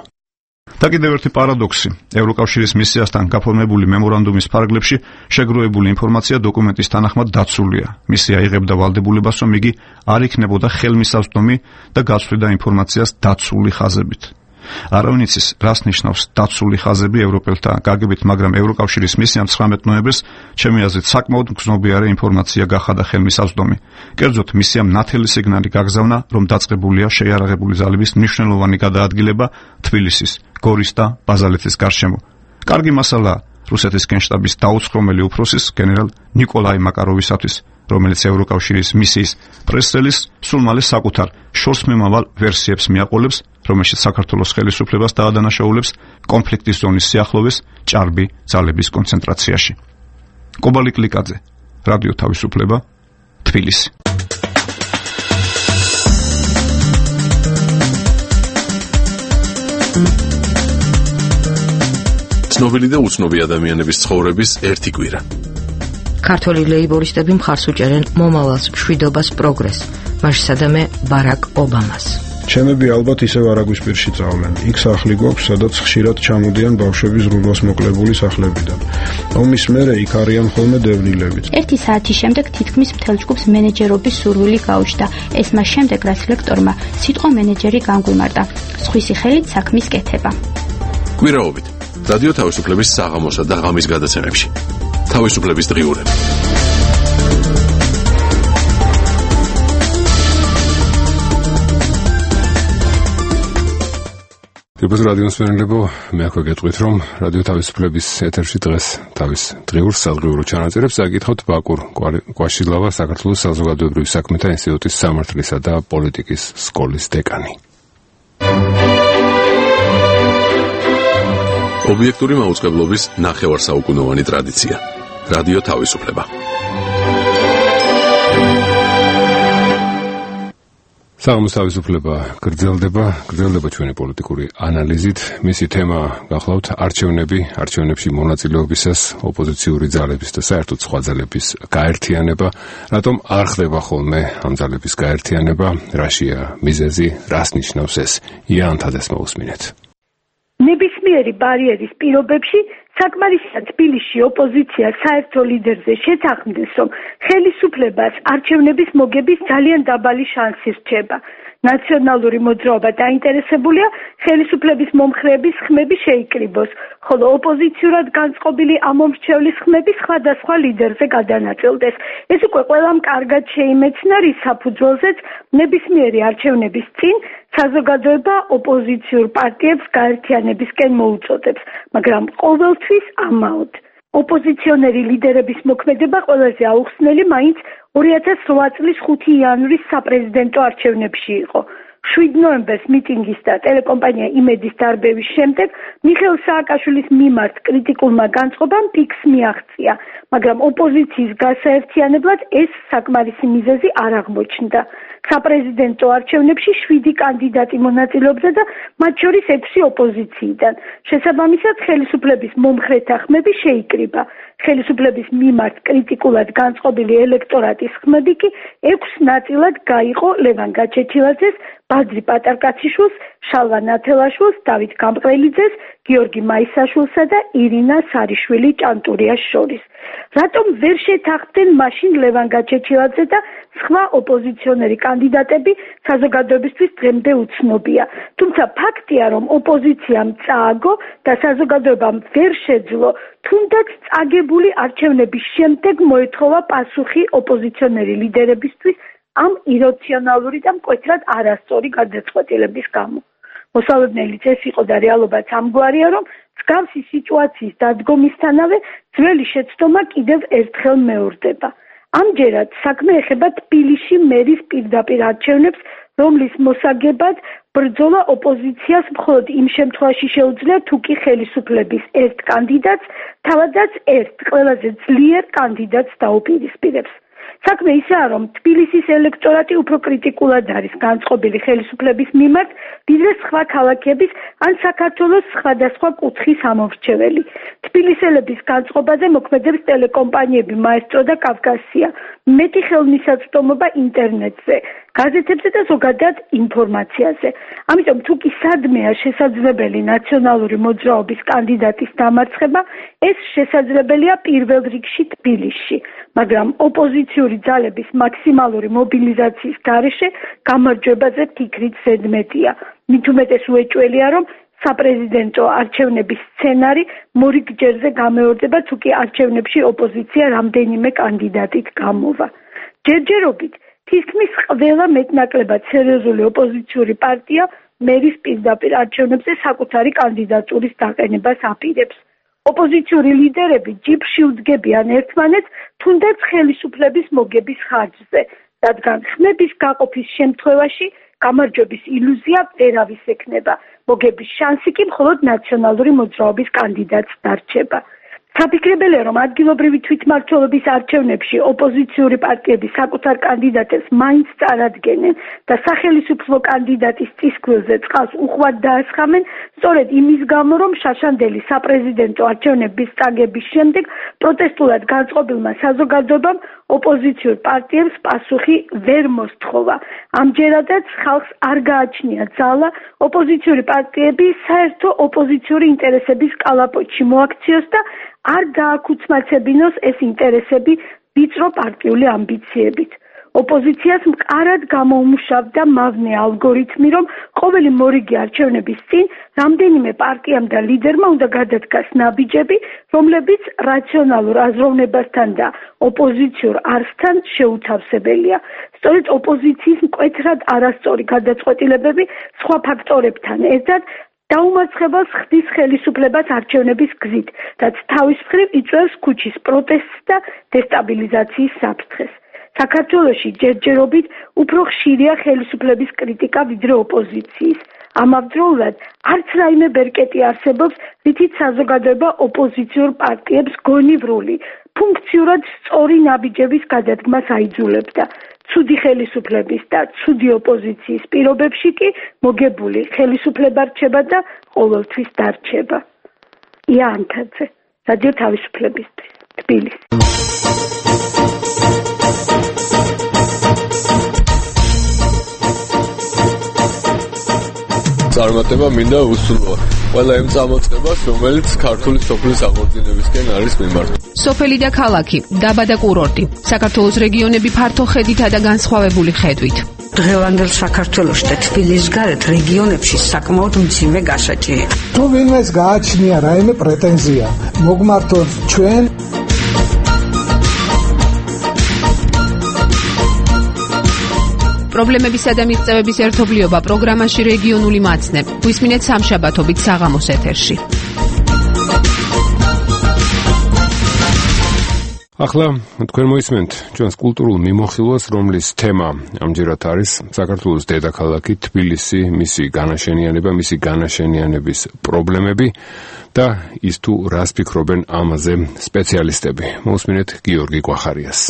და კიდევ ერთი პარადოქსი. ევროკავშირის მისიასთან გაფორმებული მემორანდუმის ფარგლებში შეგროვებული ინფორმაცია დოკუმენტის თანახმად დაცულია. მისია იღებდა ვალდებულებას, რომ იგი არ იქნებოდა ხელმისაწვდომი და გაცვლიდა ინფორმაციას დაცული ხაზებით. არავინ იცის, რას ნიშნავს დაცული ხაზები ევროპელთა გაგებით, მაგრამ ევროკავშირის მისიამ ცხრამეტ ნოემბერს ჩემი აზრით საკმაოდ მგრძნობიარე ინფორმაცია გახადა ხელმისაწვდომი. კერძოდ მისიამ ნათელი სიგნალი გაგზავნა, რომ დაწყებულია შეიარაღებული ძალების მნიშვნელოვანი გადაადგილება თბილისის, გორის და ბაზალეთის გარშემო. კარგი მასალაა რუსეთის გენშტაბის დაუცხრომელი უფროსის გენერალ ნიკოლაი მაკაროვისათვის, რომელიც ევროკავშირის მისიის პრეს-რელიზს სულ მალე საკუთარ შორსმემავალ ვერსიებს მიაყოლებს, რომელშიც საქართველოს ხელისუფლებას დაადანაშაულებს კონფლიქტის ზონის სიახლოვეს ჭარბი ძალების კონცენტრაციაში. კობალი კლიკაძე, რადიო თავისუფლება, თბილისი. ცნობილი და უცნობი ადამიანების ცხოვრების ერთი კვირა. ქართველი ლეიბორისტები მხარს უჭერენ მომავალს, მშვიდობას, პროგრესს, მაშინ სადამე ბარაკ ობამას. ჩემები ალბათ ისევ არაგვისპირში წავდნენ. იქ სახლი გვაქვს, სადაც ხშირად ჩამოდიან ბავშვები ზრუნვას მოკლებული სახლებიდან. ომის მერე იქ არიან ხოლმე დევნილებით. ერთი საათის შემდეგ თითქმის მთელ ჯგუფს მენეჯერობის სურვილი გაუჩნდა. ეს მას შემდეგ, რაც ლექტორმა სიტყვა მენეჯერი განგვიმარტა. სხვისი ხელით საქმის კეთება. კვირაობით რადიო თავისუფლების საღამოსა და ღამის გადაცემებში. თავისუფლების დღიურები. დიაბაზ რადიოს მენელებო, მე აქვე გეტყვით, რომ რადიო თავისუფლების ეთერში დღეს თავის დღიურ სადღიურო ჩანაწერებს აკითხავთ ბაკურ კვაშილავა, საქართველოს საზოგადოებრივი საქმეთა ინსტიტუტის სამართლისა და პოლიტიკის სკოლის დეკანი. ობიექტური მაუწყებლობის ნახევარსაუკუნოვანი ტრადიცია. რადიო თავისუფლება. საღამოს თავისუფლება გრძელდება, გრძელდება ჩვენი პოლიტიკური ანალიზით. მისი თემა გახლავთ არჩევნები, არჩევნებში მონაწილეობისას ოპოზიციური ძალების და საერთოდ სხვა ძალების გაერთიანება. რატომ არ ხდება ხოლმე ამ ძალების გაერთიანება? რაშია მიზეზი? რას ნიშნავს ეს? იან თადეს მოусმინეთ. ნებისმიერი ბარიერის პირობებში საკმარისია თბილისში ოპოზიცია საერთო ლიდერზე შეთანხმდეს, რომ ხელისუფლებას არჩევნების მოგების ძალიან დაბალი შანსი რჩება. ნაციონალური მოძრაობა დაინტერესებულია ხელისუფლების მომხრეების ხმები შეიკრიბოს, ხოლო ოპოზიციურად განწყობილი ამომრჩევლის ხმები სხვადასხვა ლიდერზე გადანაწილდეს. ეს უკვე ყველამ კარგად შეიმეცნა, რის საფუძველზეც ნებისმიერი არჩევნების წინ საზოგადოება ოპოზიციურ პარტიებს გაერთიანებისკენ მოუწოდებს, მაგრამ ყოველთვის ამაოდ. ოპოზიციონერი ლიდერების მოქმედება ყველაზე აუხსნელი მაინც ორი ათას რვა წლის ხუთი იანვრის საპრეზიდენტო არჩევნებში იყო. შვიდ ნოემბერს მიტინგის და ტელეკომპანია იმედის დარბევის შემდეგ მიხეილ სააკაშვილის მიმართ კრიტიკულმა განწყობამ პიკს მიაღწია, მაგრამ ოპოზიციის გასაერთიანებლად ეს საკმარისი მიზეზი არ აღმოჩნდა. საპრეზიდენტო არჩევნებში შვიდი კანდიდატი მონაწილეობდა და მათ შორის ექვსი ოპოზიციიდან. შესაბამისად, ხელისუფლების მომხრეთა ხმები შეიკრიბა. ხელისუფლების მიმართ კრიტიკულად განწყობილი ელექტორატის ხმები კი ექვს ნაწილად გაიყო ლევან გაჩეჩილაძეს, ბადრი პატარკაციშვილს, შალვა ნათელაშვილს, დავით გამყრელიძეს, გიორგი მაისაშვილსა და ირინა სარიშვილი ჭანტურიას შორის. რატომ ვერ შეთანხმდნენ მაშინ ლევან გაჩეჩილაძე და სხვა ოპოზიციონერი კანდიდატები, საზოგადოებისთვის დღემდე უცნობია. თუმცა ფაქტია, რომ ოპოზიციამ წააგო და საზოგადოებამ ვერ შეძლო თუნდაც წაგებული არჩევნების შემდეგ მოეთხოვა პასუხი ოპოზიციონერი ლიდერებისთვის ამ ირაციონალური და მკვეთრად არასწორი გადაწყვეტილების გამო. მოსალოდნელიც ეს იყო და რეალობაც ამგვარია, რომ მსგავსი სიტუაციის დადგომისთანავე ძველი შეცდომა კიდევ ერთხელ მეორდება. ამჯერად საქმე ეხება თბილისში მერის პირდაპირ არჩევნებს, რომლის მოსაგებად ბრძოლა ოპოზიციას მხოლოდ იმ შემთხვევაში შეუძლია, თუ კი ხელისუფლების ერთ კანდიდატს, თავადაც ერთ ყველაზე ძლიერ კანდიდატს დაუპირისპირებს. საქმე ისაა, რომ თბილისის ელექტორატი უფრო კრიტიკულად არის განწყობილი ხელისუფლების მიმართ, ვიდრე სხვა ქალაქების ან საქართველოს სხვადასხვა კუთხის ამომრჩეველი. თბილისელების განწყობაზე მოქმედებს ტელეკომპანიები მაესტრო და კავკასია, მეტი ხელმისაწვდომობა ინტერნეტზე, გაზეთებზე და ზოგადად ინფორმაციაზე. ამიტომ თუ კი სადმეა შესაძლებელი ნაციონალური მოძრაობის კანდიდატის დამარცხება, ეს შესაძლებელია პირველ რიგში თბილისში, მაგრამ ოპოზიციური ძალების მაქსიმალური მობილიზაციის გარეშე გამარჯვებაზე ფიქრით ზედმეტია. მით უმეტეს უეჭველია, რომ საპრეზიდენტო არჩევნების სცენარი მორიგჯერზე გამეორდება, თუ კი არჩევნებში ოპოზიცია რამდენიმე კანდიდატით გამოვა. ჯერჯერობით თითქმის ყველა მეტნაკლებად სერიოზული ოპოზიციური პარტია მერის პირდაპირ არჩევნებზე საკუთარი კანდიდატურის დაყენებას აპირებს. ოპოზიციური ლიდერები ჯიბრში უდგებიან ერთმანეთს, თუნდაც ხელისუფლების მოგების ხარჯზე, რადგან ხმების გაყოფის შემთხვევაში გამარჯვების ილუზია ვერავის ექნება. მოგების შანსი კი მხოლოდ ნაციონალური მოძრაობის კანდიდატს დარჩება. საფიქრებელია, რომ ადგილობრივი თვითმმართველობის არჩევნებში ოპოზიციური პარტიები საკუთარ კანდიდატებს მაინც წარადგენენ და სახელისუფლო კანდიდატის წისქვილზე წყალს უხვად დაასხამენ, სწორედ იმის გამო, რომ შაშანდელი საპრეზიდენტო არჩევნების წაგების შემდეგ პროტესტულად განწყობილმა საზოგადოებამ ოპოზიციურ პარტიებს პასუხი ვერ მოსთხოვა. ამჯერადაც ხალხს არ გააჩნია ძალა ოპოზიციური პარტიები საერთო ოპოზიციური ინტერესების კალაპოტში მოაქციოს და არ გააკუცმაცებინოს ეს ინტერესები ვიწრო პარტიული ამბიციებით. ოპოზიციას მყარად გამოუმუშავდა მავნე ალგორითმი, რომ ყოველი მორიგი არჩევნების წინ რამდენიმე პარტიამ და ლიდერმა უნდა გადადგას ნაბიჯები, რომლებიც რაციონალურ აზროვნებასთან და ოპოზიციურ არსთან შეუთავსებელია. სწორედ ოპოზიციის მკვეთრად არასწორი გადაწყვეტილებები სხვა ფაქტორებთან ერთად დაუმარცხებელს ხდის ხელისუფლებას არჩევნების გზით, რაც თავის მხრივ იწვევს ქუჩის პროტესტს და დესტაბილიზაციის საფრთხეს. საქართველოში ჯერჯერობით უფრო ხშირია ხელისუფლების კრიტიკა ვიდრე ოპოზიციის. ამავდროულად არც რაიმე ბერკეტი არსებობს, რითიც საზოგადოება ოპოზიციურ პარტიებს გონივრული, ფუნქციურად სწორი ნაბიჯების გადადგმას აიძულებდა. ცუდი ხელისუფლების და ცუდი ოპოზიციის პირობებში კი მოგებული ხელისუფლება რჩება და ყოველთვის დარჩება. ია ანთაძე, რადიო თავისუფლებისთვის, თბილისი. წარმატება მინდა უსურვო ყველა იმ წამოწყებას, რომელიც ქართული სოფლის აღორძინებისკენ არის მიმართული. სოფელი და ქალაქი, დაბა და კურორტი, საქართველოს რეგიონები ფართო ხედითა და განსხვავებული ხედვით. დღევანდელ საქართველოში და თბილისის გარეთ რეგიონებში საკმაოდ მძიმე გასაჭირია. თუ ვინმეს გააჩნია რაიმე პრეტენზია, მოგმართოთ ჩვენ პრობლემებისა და მიღწევების ერთობლიობა პროგრამაში რეგიონული მაცნე. გვისმინეთ სამშაბათობით საღამოს ეთერში. ახლა თქვენ მოისმენთ ჩვენს კულტურულ მიმოხილვას, რომლის თემა ამჯერად არის საქართველოს დედაქალაქი თბილისი, მისი განაშენიანება, მისი განაშენიანების პრობლემები და ის თუ რას ფიქრობენ ამაზე სპეციალისტები. მოусმინეთ გიორგი კვახარიას.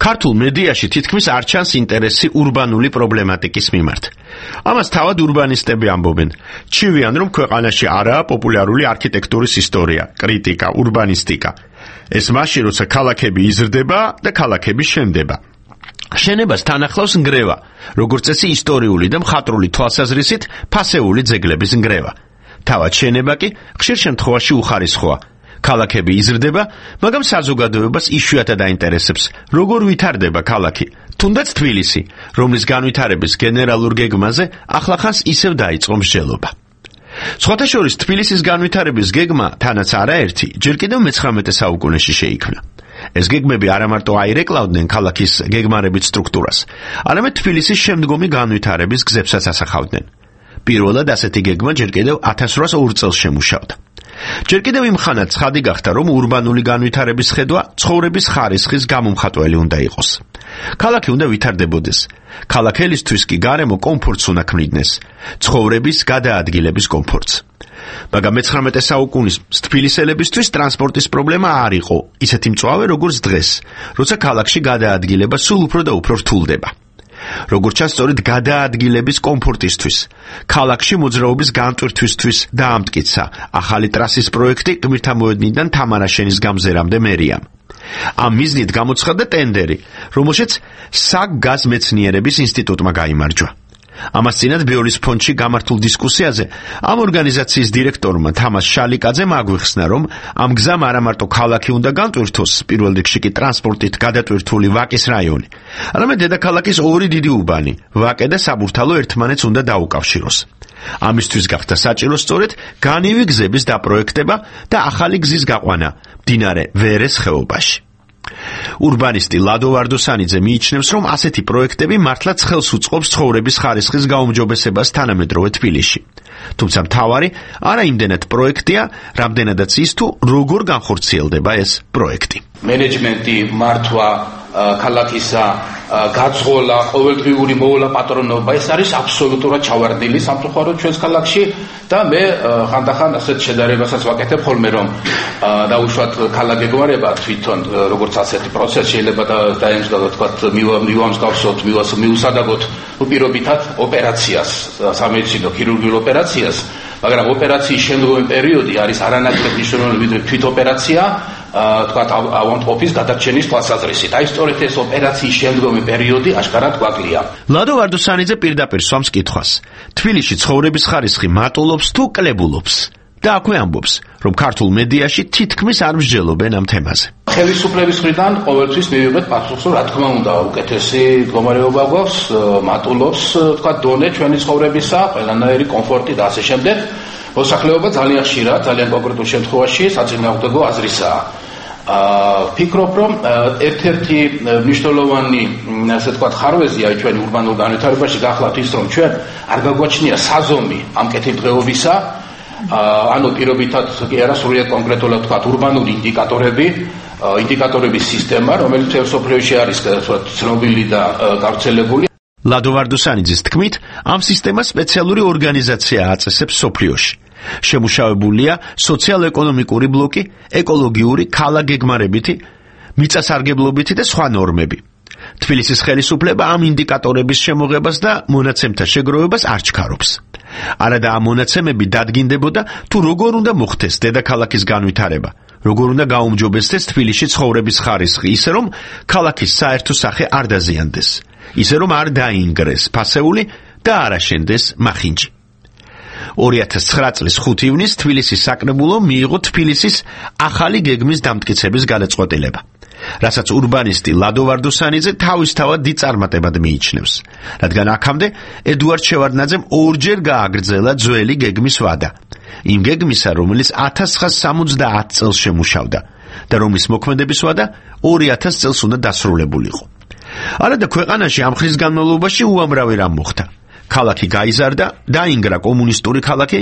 ქართულ მედიაში თითქმის არ ჩანს ინტერესი ურბანული პრობლემატიკის მიმართ. ამას თავად ურბანისტები ამბობენ. ჩივიან, რომ ქვეყანაში არაა პოპულარული არქიტექტურის ისტორია, კრიტიკა, ურბანისტიკა. ეს მაშინ, როცა ქალაქები იზრდება და ქალაქები შენდება. შენებას თან ახლავს ნგრევა, როგორც წესი ისტორიული და მხატვრული თვალსაზრისით ფასეული ძეგლების ნგრევა. თავად შენება კი ხშირ შემთხვევაში უხარისხოა. ქალაქები იზრდება, მაგრამ საზოგადოებას იშვიათად აინტერესებს, როგორ ვითარდება ქალაქი, თუნდაც თბილისი, რომლის განვითარების გენერალურ გეგმაზე ახლახანს ისევ დაიწყო მსჯელობა. სხვათა შორის თბილისის განვითარების გეგმა თანაც არაერთი, ჯერ კიდევ მეცხრამეტე საუკუნეში შეიქმნა. ეს გეგმები არა მარტო აირეკლავდნენ ქალაქის გეგმარებით სტრუქტურას, არამედ თბილისის შემდგომი განვითარების გზებსაც ასახავდნენ. პირველად ასეთი გეგმა ჯერ კიდევ ათას რვაას ორ წელს შემუშავდა. ჯერ კიდევ იმ ხანად ცხადი გახდა, რომ ურბანული განვითარების ხედვა ცხოვრების ხარისხის გამომხატველი უნდა იყოს. ქალაქი უნდა ვითარდებოდეს. ქალაქელისთვის კი გარემო კომფორტს უნდა ქმნიდეს, ცხოვრების გადაადგილების კომფორტს. მაგრამ მეცხრამეტე საუკუნის თბილისელებისთვის ტრანსპორტის პრობლემა არ იყო ისეთი მწვავე, როგორც დღეს, როცა ქალაქში გადაადგილება სულ უფრო და უფრო რთულდება. როგორც ჩანს, სწორედ გადაადგილების კომფორტისთვის, ქალაქში მოძრაობის განტვირთვისთვის დაამტკიცა ახალი ტრასის პროექტი გმირთამოედნიდან თამარაშენის გამზერამდე მერიამ. ამ მიზნით გამოცხადდა ტენდერი, რომელშიც საგგაზ მეცნიერების ინსტიტუტმა გაიმარჯვა. ამას წინათ ბიოლის ფონდში გამართულ დისკუსიაზე ამ ორგანიზაციის დირექტორმა თამას შალიკაძემ აგვიხსნა, რომ ამ გზამ არა მარტო ქალაქი უნდა განტვირთოს, პირველ რიგში კი ტრანსპორტით გადატვირთული ვაკის რაიონი, არამედ დედაქალაქის ორი დიდი უბანი, ვაკე და საბურთალო ერთმანეთს უნდა დაუკავშიროს. ამისთვის გახდა საჭირო სწორედ განივი გზების დაპროექტება და ახალი გზის გაყვანა მდინარე ვერეს ხეობაში. ურბანისტი ლადო ვარდოსანიძე მიიჩნევს, რომ ასეთი პროექტები მართლაც ხელს უწყობს ცხოვრების ხარისხის გაუმჯობესებას თანამედროვე თბილისში. თუმცა მთავარი არა იმდენად პროექტია, რამდენადაც ის თუ როგორ განხორციელდება ეს პროექტი. მენეჯმენტი, მართვა, ქალაქისა გაძღოლა, ყოველდღიური მოვლა პატრონობა, ეს არის აბსოლუტურად ჩავარდნილი სამწუხაროდ ჩვენს ქალაქში და მე ხანდახან ასეთ შედარებასაც ვაკეთებ ხოლმე, რომ დაუშვათ ქალაქგეგმარება თვითონ როგორც ასეთი პროცესი შეიძლება დაემსგავსოთ, თქვათ, მივამსგავსოთ, მივუსადაგოთ პირობითად ოპერაციას, სამედიცინო ქირურგიულ ოპერაციას, მაგრამ ოპერაციის შემდგომი პერიოდი არის არანაკლებ მნიშვნელოვანი ვიდრე თვით ოპერაცია, თქვათ ავადმყოფის გადარჩენის თვალსაზრისით. აი სწორედ ეს ოპერაციის შემდგომი პერიოდი აშკარად გვაკლია. ლადო ვარდოსანიძე პირდაპირ სვამს კითხვას. თბილისში ცხოვრების ხარისხი მატულობს თუ კლებულობს? და აქვე ამბობს, რომ ქართულ მედიაში თითქმის არ მსჯელობენ ამ თემაზე. ხელისუფლების მხრიდან ყოველთვის მივიღეთ პასუხს, რომ რა თქმა უნდა, უკეთესი მდგომარეობა გვაქვს, მატულობს, თქვათ, დონე ჩვენი ცხოვრებისა, ყველანაირი კომფორტი და ასე შემდეგ. მოსახლეობა ძალიან ხშირად, ძალიან კონკრეტულ შემთხვევაში საწინააღმდეგო აზრისაა. ფიქრობ, რომ ერთ-ერთი მნიშვნელოვანი, ასე ვთქვათ, ხარვეზია ჩვენი ურბანულ განვითარებაში გახლავთ ის, რომ ჩვენ არ გაგვაჩნია საზომი ამ კეთილდღეობისა, ანუ პირობითად კი არა სრულიად კონკრეტულად ვთქვათ, ურბანული ინდიკატორები, ინდიკატორების სისტემა, რომელიც სოფლიოში არის ცნობილი და გავრცელებული. ლადო ვარდოსანიძის თქმით, ამ სისტემას სპეციალური ორგანიზაცია აწესებს სოფლიოში. შემუშავებულია სოციალ-ეკონომიკური ბლოკი, ეკოლოგიური, ქალაქგეგმარებითი, მიწასარგებლობითი და სხვა ნორმები. თბილისის ხელისუფლება ამ ინდიკატორების შემოღებას და მონაცემთა შეგროვებას არ ჩქარობს. არადა ამ მონაცემები დადგინდებოდა, თუ როგორ უნდა მოხდეს დედაქალაქის განვითარება, როგორ უნდა გაუმჯობესდეს თბილისში ცხოვრების ხარისხი, ისე რომ ქალაქის საერთო სახე არ დაზიანდეს, ისე რომ არ დაინგრეს ფასეული და არ აშენდეს მახინჯი. ორი ათას ცხრა წლის ხუთი ივნისს თბილისის საკრებულო მიიღო თბილისის ახალი გეგმის დამტკიცების გადაწყვეტილება, რასაც ურბანისტი ლადო ვარდოსანიძე თავისთავად დიდ წარმატებად მიიჩნევს, რადგან აქამდე ედუარდ შევარდნაძემ ორჯერ გააგრძელა ძველი გეგმის ვადა, იმ გეგმისა, რომელიც ათას ცხრაასა სამოცდაათი წელს შემუშავდა და რომლის მოქმედების ვადა ორი ათას წელს უნდა დასრულებულიყო. არადა ქვეყანაში ამ ხნის განმავლობაში უამრავი რამ მოხდა. ქალაქი გაიზარდა, დაინგრა კომუნისტური ქალაქი.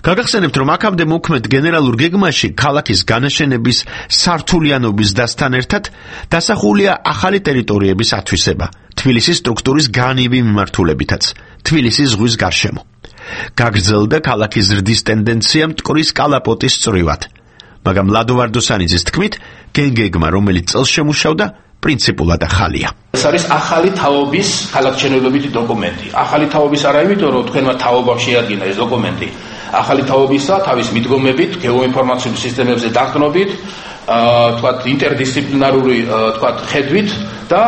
გაგახსენებთ, რომ აქამდე მოქმედ გენერალურ გეგმაში ქალაქის განაშენების სართულიანობის დასთან ერთად დასახულია ახალი ტერიტორიების ათვისება, თბილისის სტრუქტურის განივი მიმართულებითაც, თბილისის ზღვის გარშემო. გაგრძელდა ქალაქის ზრდის ტენდენცია მტკვრის კალაპოტის წრივად. მაგრამ ლადო ვარდოსანიძის თქმით, გენგეგმა, რომელიც წელს შემუშავდა, პრინციპულად ახალია. ეს არის ახალი თაობის ქალაქმშენებლობითი დოკუმენტი. ახალი თაობის არა იმიტომ, რომ თქვენმა თაობამ შეადგინა ეს დოკუმენტი. ახალი თაობისა თავის მიდგომებით, გეოინფორმაციული სისტემებზე დაყრდნობით, თქვათ, ინტერდისციპლინარული, თქვათ, ხედვით და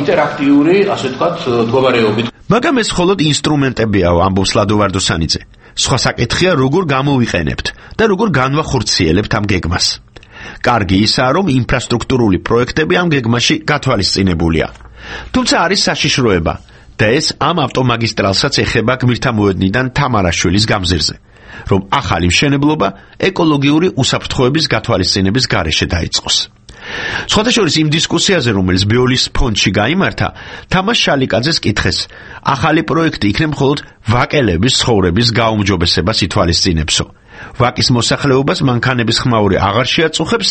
ინტერაქტიული, ასე თქვათ, მდგომარეობით. მაგრამ ეს მხოლოდ ინსტრუმენტებიაო, ამბობს ლადო ვარდოსანიძე. სხვა საკითხია, როგორ გამოვიყენებთ და როგორ განვახორციელებთ ამ გეგმას. კარგი ისაა, რომ ინფრასტრუქტურული პროექტები ამ გეგმაში გათვალისწინებულია. თუმცა არის საშიშროება და ეს ამ ავტომაგისტრალსაც ეხება გმირთამოედნიდან თამარაშვილის გამზირზე, რომ ახალი მშენებლობა ეკოლოგიური უსაფრთხოების გათვალისწინების გარეშე დაიწყოს. სხვათა შორის იმ დისკუსიაზე, რომელიც ბეოლის ფონდში გაიმართა, თამაშ შალიკაძეს კითხეს, ახალი პროექტი იქნება მხოლოდ ვაკელების ცხოვრების გაუმჯობესებას ითვალისწინებსო. ვაკის მოსახლეობას მანქანების ხმაური აღარ შეაწუხებს,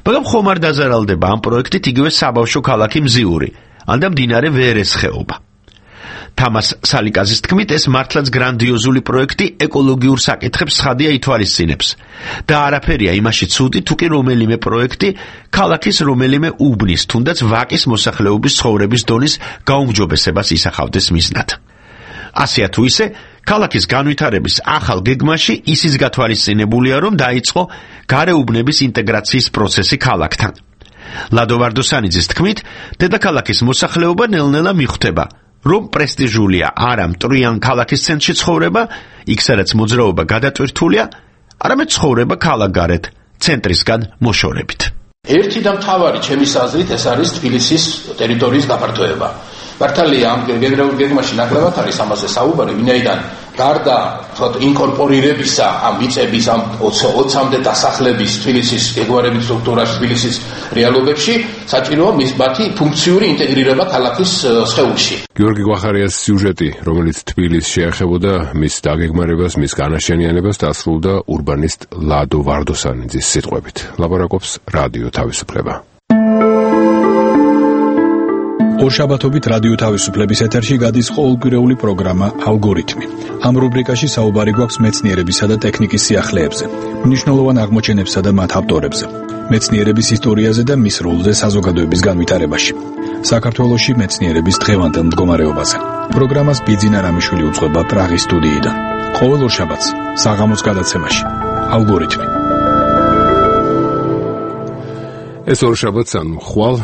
მაგრამ ხომ არ დაზარალდება ამ პროექტით იგივე საბავშვო ქალაქი მზიური, ან და მდინარე ვერეს ხეობა. თამას სალიკაზის თქმით, ეს მართლაც გრანდიოზული პროექტი ეკოლოგიურ საკითხებს ცხადია ითვალისწინებს და არაფერია იმაში ცუდი, თუ კი რომელიმე პროექტი ქალაქის რომელიმე უბნის, თუნდაც ვაკის მოსახლეობის ცხოვრების დონის გაუმჯობესებას ისახავდეს მიზნად. ასეა თუ ისე, ქალაქის განვითარების ახალ გეგმაში ისიც გათვალისწინებულია, რომ დაიწყო გარეუბნების ინტეგრაციის პროცესი ქალაქთან. ლადო ვარდოსანიძის თქმით, დედაქალაქის მოსახლეობა ნელ-ნელა მიხვდება, რომ პრესტიჟულია არა მტრიან ქალაქის ცენტრში ცხოვრება, იქ სადაც მოძრაობა გადატვირთულია, არამედ ცხოვრება ქალაქგარეთ, ცენტრისგან მოშორებით. ერთი და მთავარი ჩემის აზრით ეს არის თბილისის ტერიტორიის გაფართოება. მართალია ამ გენერალურ გეგმაში ნაკლებად არის ამაზე საუბარი, ვინაიდან გარდა თქო ინკორპორირებისა ამ ვიწების ამ ოცამდე დასახლების თბილისის ეგوارებით სტრუქტურაში თბილისის რეალობებში საჭიროა მის მათი ფუნქციური ინტეგრირება ქალაქის სხეულში. გიორგი გვახარიას სიუჟეტი, რომელიც თბილისს შეეხებოდა მის დაგეგმარებას, მის განაშენიანებას დასრულდა ურბანისტ ლადო ვარდოსანიძის სიტყვებით. ლაპარაკობს რადიო თავისუფლება. ორშაბათობით რადიო თავისუფლების ეთერში გადის ყოველკვირეული პროგრამა ალგორითმი. ამ რუბრიკაში საუბარი გვაქვს მეცნიერებისა და ტექნიკის სიახლეებზე, მნიშვნელოვან აღმოჩენებსა და მათ ავტორებზე, მეცნიერების ისტორიაზე და მის როლზე საზოგადოების განვითარებაში. საქართველოში მეცნიერების დღევანდელ მდგომარეობაზე. პროგრამას ბიძინა რამიშვილი უძღვება პრაღის სტუდიიდან. ყოველ ორშაბათს საღამოს გადაცემაში ალგორითმი. ეს ორშაბათს ანუ ხვალ